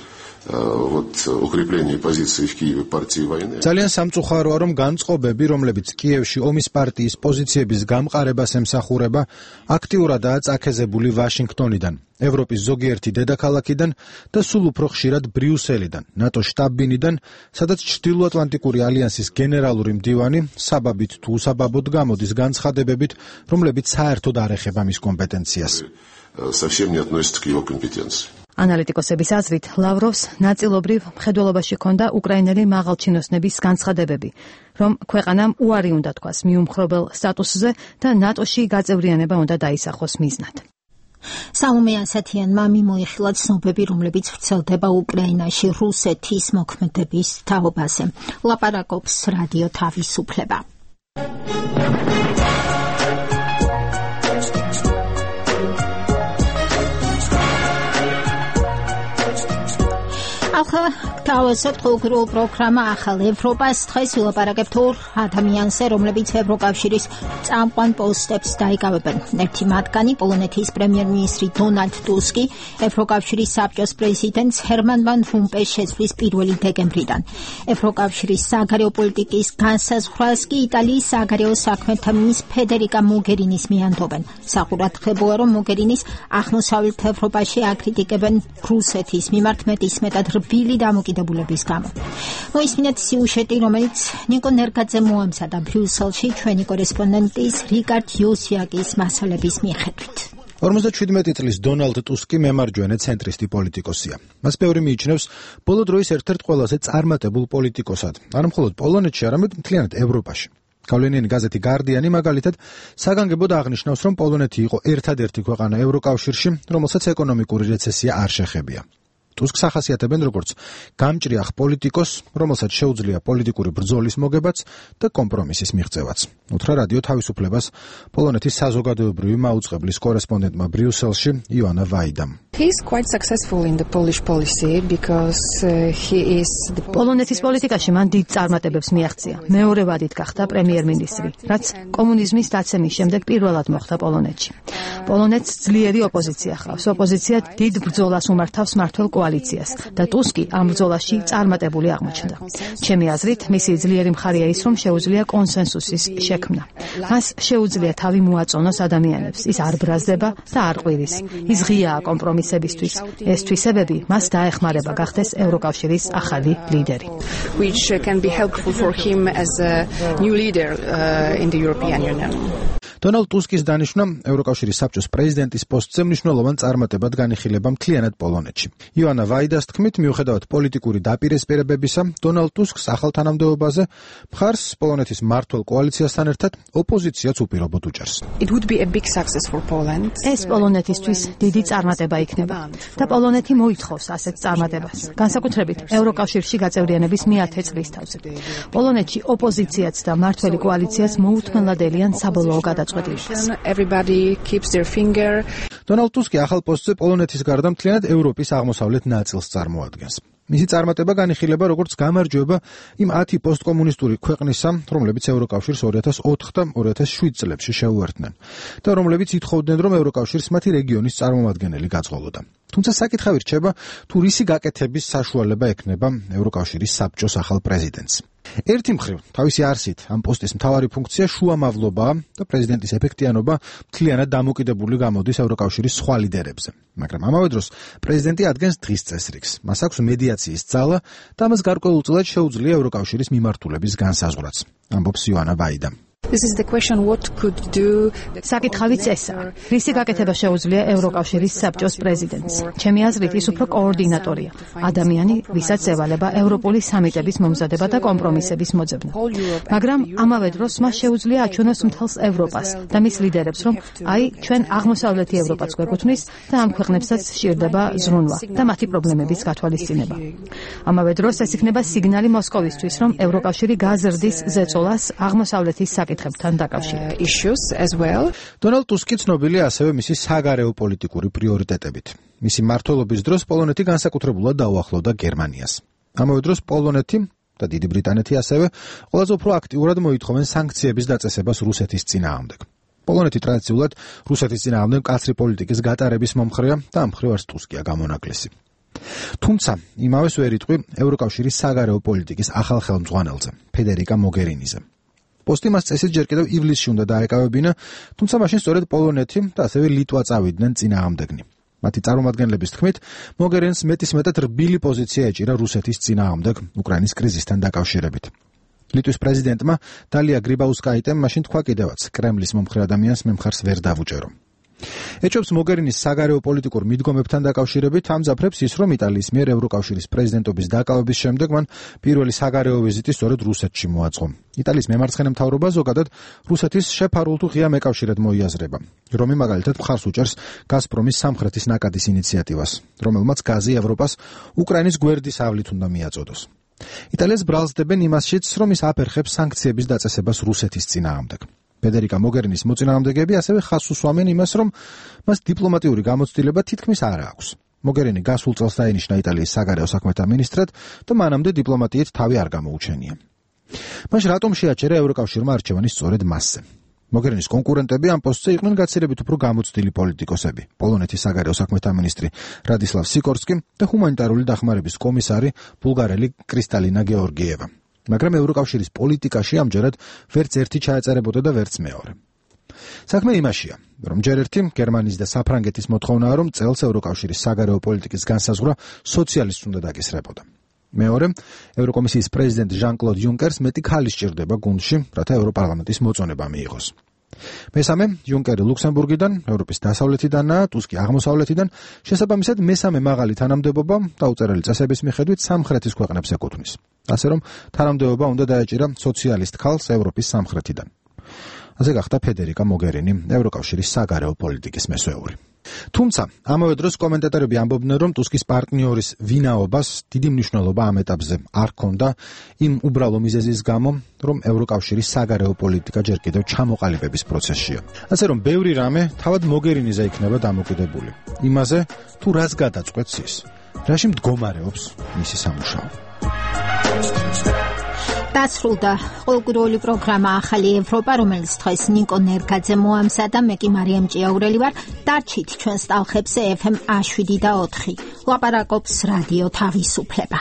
укрепления позиции в Киеве партии войны. ძალიან სამწუხაროა, რომ განწყობები, რომლებიც კიევში ომის პარტიის პოზიციების გამყარებას ემსახურება, აქტიურადაა წაქეზებული ვაშინგტონიდან, ევროპის ზოგიერთი დედაქალაქიდან და სულ უფრო ხშირად ბრიუსელიდან, ნატოს შტაბ-ბინიდან, სადაც ჩრდილოატლანტიკური ალიანსის გენერალური მდივანი საბაბით თუ უსაბაბოდ გამოდის განცხადებებით, რომლებიც საერთოდ არ ეხება მის კომპეტენციას. Совсем не относится к его компетенции. ანალიტიკოსების აზრით, ლავროვს ნაწილობრივ მხედველობაში ჰქონდა უკრაინელი მაღალჩინოსნების განცხადებები, რომ ქვეყანამ უარი უნდა თქვას მიუმხრობელ სტატუსზე და ნატოში გაწევრიანება უნდა დაისახოს მიზნად. სალომე ასათიანმა მიმოიხილა ცნობები, რომლებიც ვრცელდება უკრაინაში რუსეთის მოქმედების თაობაზე. ლაპარაკობს რადიო თავისუფლება. ახლა თავისუფლ უგრულ პროგრამა ახალ ევროპას დღეს ვილაპარაკებთ ორ ადამიანზე, რომლებიც ევროკავშირის წამყვან პოსტებს დაიკავებენ. ერთი მათგანი პოლონეთის პრემიერ-მინისტრი დონალდ ტუსკი, ევროკავშირის საბჭოს პრეზიდენტს ჰერმან ვან რომპეს შეცვლის 1 დეკემბრიდან. ევროკავშირის საგარეო პოლიტიკის განსაზღვრას კი იტალიის საგარეო საქმეთა მინისტრი ფედერიკა მოგერინის მიანდობენ. საყურადღებოა, რომ მოგერინის აღმოსავლეთ ევროპაში აკრიტიკებენ რუსეთის მიმართ მეტისმეტად რბილი დამოკიდებულების გამო. მოისმინეთ სიუჟეტი, რომელიც ნიკო ნერგაძე მოამზადა ბრიუსელში ჩვენი კორესპონდენტის რიკარდ იოსიაკის მასალების მიხედვით. 57 წლის დონალდ ტუსკი მემარჯვენე ცენტრისტი პოლიტიკოსია. მას ბევრი მიიჩნევს ბოლო დროის ერთ-ერთ ყველაზე წარმატებულ პოლიტიკოსად, არა მხოლოდ პოლონეთში, არამედ მთლიანად ევროპაში. გავლენიანი გაზეთი გარდიანი მაგალითად საგანგებოდ აღნიშნავს, რომ პოლონეთი იყო ერთადერთი ქვეყანა ევროკავშირში, რომელსაც ეკონომიკური რეცესია არ შეხებია. ტუსკს ახასიათებენ როგორც გამჭრიახ პოლიტიკოს, რომელსაც შეუძლია პოლიტიკური ბრძოლის მოგებაც და კომპრომისის მიღწევაც. უთხრა რადიო თავისუფლებას პოლონეთის საზოგადოებრივი მაუწყებლის კორესპონდენტმა ბრიუსელში ივანა ვაიდამ. პოლონეთის პოლიტიკაში მან დიდ წარმატებებს მიაღწია. მეორე ვადით გახდა პრემიერ-მინისტრი, რაც კომუნიზმის დაცემის შემდეგ პირველად მოხდა პოლონეთში. პოლონეთს ძლიერი ოპოზიცია ჰყავს. ოპოზიცია დიდ ბრძოლას უმართავს მმართველ კოალიციას და ტუსკი ამ ბრძოლაში წარმატებული აღმოჩნდა. ჩემი აზრით, მისი ძლიერი მხარეა ის, რომ შეუძლია კონსენსუსის შექმნა. მას შეუძლია თავი მოაწონოს ადამიანებს. ის არ ბრაზდება და არ ყვირის. ის ღიაა კომპრომისებისთვის. ეს თვისებები მას დაეხმარება გახდეს ევროკავშირის ახალი ლიდერი. Which can be helpful for him as a new leader in the European Union. დონალდ ტუსკის დანიშვნა ევროკავშირის საბჭოს პრეზიდენტის პოსტზე მნიშვნელოვან წარმატებად განიხილება მთლიანად პოლონეთში. ივანა ვაიდას თქმით, მიუხედავად პოლიტიკური დაპირისპირებებისა, დონალდ ტუსკს ახალ თანამდებობაზე მხარს პოლონეთის მმართველ კოალიციასთან ერთად ოპოზიციაც უპირობოდ უჭერს. It would be a big success for Poland. ეს პოლონეთისთვის დიდი წარმატება იქნება და პოლონეთი მოითხოვს ასეთ წარმატებას. განსაკუთრებით ევროკავშირში გაწევრიანების მე-10 წლის თავზე. პოლონეთში ოპოზიციაც და მმართველი კოალიციაც მოუთმენლად ელიან საბოლოო გადაწყვეტილებას. Everybody keeps their finger. დონალდ ტუსკი ახალ პოსტზე პოლონეთის გარდა მთლიანად ევროპის აღმოსავლეთ ნაწილს წარმოადგენს. მისი წარმატება განიხილება როგორც გამარჯვება იმ 10 პოსტკომუნისტური ქვეყნისა, რომლებიც ევროკავშირს 2004 და 2007 წლებში შეუერთდნენ და რომლებიც ითხოვდნენ, რომ ევროკავშირს მათი რეგიონის წარმომადგენელი გაწყობოდა. თუმცა საკითხი რჩება, თუ რისი გაკეთების საშუალება ექნება ევროკავშირის საბჭოს ახალ პრეზიდენტს. ერთი მხრივ, თავისი არსით ამ პოსტის მთავარი ფუნქცია შუამავლობაა და პრეზიდენტის ეფექტიანობა მთლიანად დამოკიდებული გამოდის ევროკავშირის სხვა ლიდერებზე. მაგრამ ამავე დროს პრეზიდენტი ადგენს დღის წესრიგს. მას აქვს მედიაციის ძალა და ამას გარკვეულწილად შეუძლია ევროკავშირის მიმართულების განსაზღვრაც. ამბობს ივანა ვაიდა. This is the question what could do. საკითხავიც ესაა. რისი გაკეთება შეუძლია ევროკავშირის საბჭოს პრეზიდენტს? ჩემი აზრით, ის უფრო კოორდინატორია. ადამიანი, ვისაც ევალება ევროპული სამიტების მომზადება და კომპრომისების მოძებნა. მაგრამ ამავე დროს მას შეუძლია აჩვენოს მთელს ევროპას და მის ლიდერებს, რომ აი, ჩვენ აღმოსავლეთი ევროპაც გვეკუთვნის და ამ ქვეყნებსაც სჭირდება ზრუნვა და მათი პრობლემების გათვალისწინება. ამავე დროს ეს იქნება სიგნალი მოსკოვისთვის, რომ ევროკავშირი გაზრდის ზეწოლას აღმოსავლეთის საკითხებთან დაკავშირებით. დონალდ ტუსკი ცნობილია ასევე მისი საგარეო პოლიტიკური პრიორიტეტებით. მისი მმართველობის დროს პოლონეთი განსაკუთრებულად დაუახლოვდა გერმანიას. ამავე დროს პოლონეთი და დიდი ბრიტანეთი ასევე ყველაზე უფრო აქტიურად მოითხოვენ სანქციების დაწესებას რუსეთის წინააღმდეგ. პოლონეთი ტრადიციულად რუსეთის წინააღმდეგ მკაცრი პოლიტიკის გატარების მომხრეა და ამ მხრივ არც ტუსკია გამონაკლისი. თუმცა იმავეს ვერ იტყვი ევროკავშირის საგარეო პოლიტიკის ახალ ხელმძღვანელზე, ფედერიკა მოგერინიზე. პოსტი მას წესით ჯერ კიდევ ივლისში უნდა დაეკავებინა, თუმცა მაშინ სწორედ პოლონეთი და ასევე ლიტვა წავიდნენ წინააღმდეგნი. მათი წარმომადგენლების თქმით, მოგერინს მეტისმეტად რბილი პოზიცია ეჭირა რუსეთის წინააღმდეგ უკრაინის კრიზისთან დაკავშირებით. ლიტვის პრეზიდენტმა დალია გრიბაუსკაიტემ მაშინ თქვა კიდევაც, კრემლის მომხრე ადამიანს მე მხარს ვერ დავუჭერო. ეჭვებს მოგერინის საგარეო პოლიტიკურ მიდგომებთან დაკავშირებით ამძაფრებს ის, რომ იტალიის მიერ ევროკავშირის პრეზიდენტობის დაკავების შემდეგ მან პირველი საგარეო ვიზიტი სწორედ რუსეთში მოაწყო. იტალიის მემარცხენე მთავრობა ზოგადად რუსეთის შეფარულ თუ ღია მეკავშირედ მოიაზრება, რომი მაგალითად მხარს უჭერს გაზპრომის სამხრეთის ნაკადის ინიციატივას, რომელმაც გაზი ევროპას უკრაინის გვერდის ავლით უნდა მიაწოდოს. იტალიას ბრალსდებენ იმასშიც, რომ ის აფერხებს სანქციების დაწესებას რუსეთის წინააღმდეგ. ფედერიკა მოგერინის მოწინააღმდეგეები ასევე ხაზს უსვამენ იმას, რომ მას დიპლომატიური გამოცდილება თითქმის არ აქვს. მოგერინი გასულ წელს დაინიშნა იტალიის საგარეო საქმეთა მინისტრად და მანამდე დიპლომატიით თავი არ გამოუჩენია. მაშ რატომ შეაჩერა ევროკავშირმა არჩევანი სწორედ მასზე? მოგერინის კონკურენტები ამ პოსტზე იყვნენ გაცილებით უფრო გამოცდილი პოლიტიკოსები, პოლონეთის საგარეო საქმეთა მინისტრი რადისლავ სიკორსკი და ჰუმანიტარული დახმარების კომისარი ბულგარელი კრისტალინა გეორგიევა. მაგრამ ევროკავშირის პოლიტიკაში ამჯერად ვერც ერთი ჩაეწერებოდა და ვერც მეორე. საქმე იმაშია, რომ ჯერ ერთი გერმანიის და საფრანგეთის მოთხოვნაა, რომ წელს ევროკავშირის საგარეო პოლიტიკის განსაზღვრა სოციალისტს უნდა დაკისრებოდა. მეორე, ევროკომისიის პრეზიდენტ ჟან-კლოდ იუნკერს მეტი ქალი სჭირდება გუნდში, რათა ევროპარლამენტის მოწონება მიიღოს. მესამე, იუნკერი ლუქსემბურგიდან, ევროპის დასავლეთიდანაა, ტუსკი აღმოსავლეთიდან, შესაბამისად მესამე მაღალი თანამდებობა დაუწერელი წესების მიხედვით სამხრეთის ქვეყნებს ეკუთვნის. ასე რომ თანამდებობა უნდა დაეჭირა სოციალისტ ქალს ევროპის სამხრეთიდან. ასე გახდა ფედერიკა მოგერინი, ევროკავშირის საგარეო პოლიტიკის მესვეული. თუმცა, ამავე დროს კომენტატორები ამბობდნენ, რომ ტუსკის პარტნიორის ვინაობას დიდი მნიშვნელობა ამ ეტაპზე არ ჰქონდა იმ უბრალო მიზეზის გამო, რომ ევროკავშირის საგარეო პოლიტიკა ჯერ კიდევ ჩამოყალიბების პროცესშია. ასე რომ, ბევრი რამე თავად მოგერინიზე იქნება დამოკიდებული. იმაზე, თუ რას გადაწყვეტს ის, რაში მდგომარეობს მისი სამუშაო. დასრულდა ყოველკვირეული პროგრამა ახალი ევროპა, რომელიც დღეს ნიკო ნერგაძე მოამზადა, მე კი მარიამ ჭიაურელი ვარ. დარჩით ჩვენს ტალხებზე FM 7 და 4. ლაპარაკობს რადიო თავისუფლება.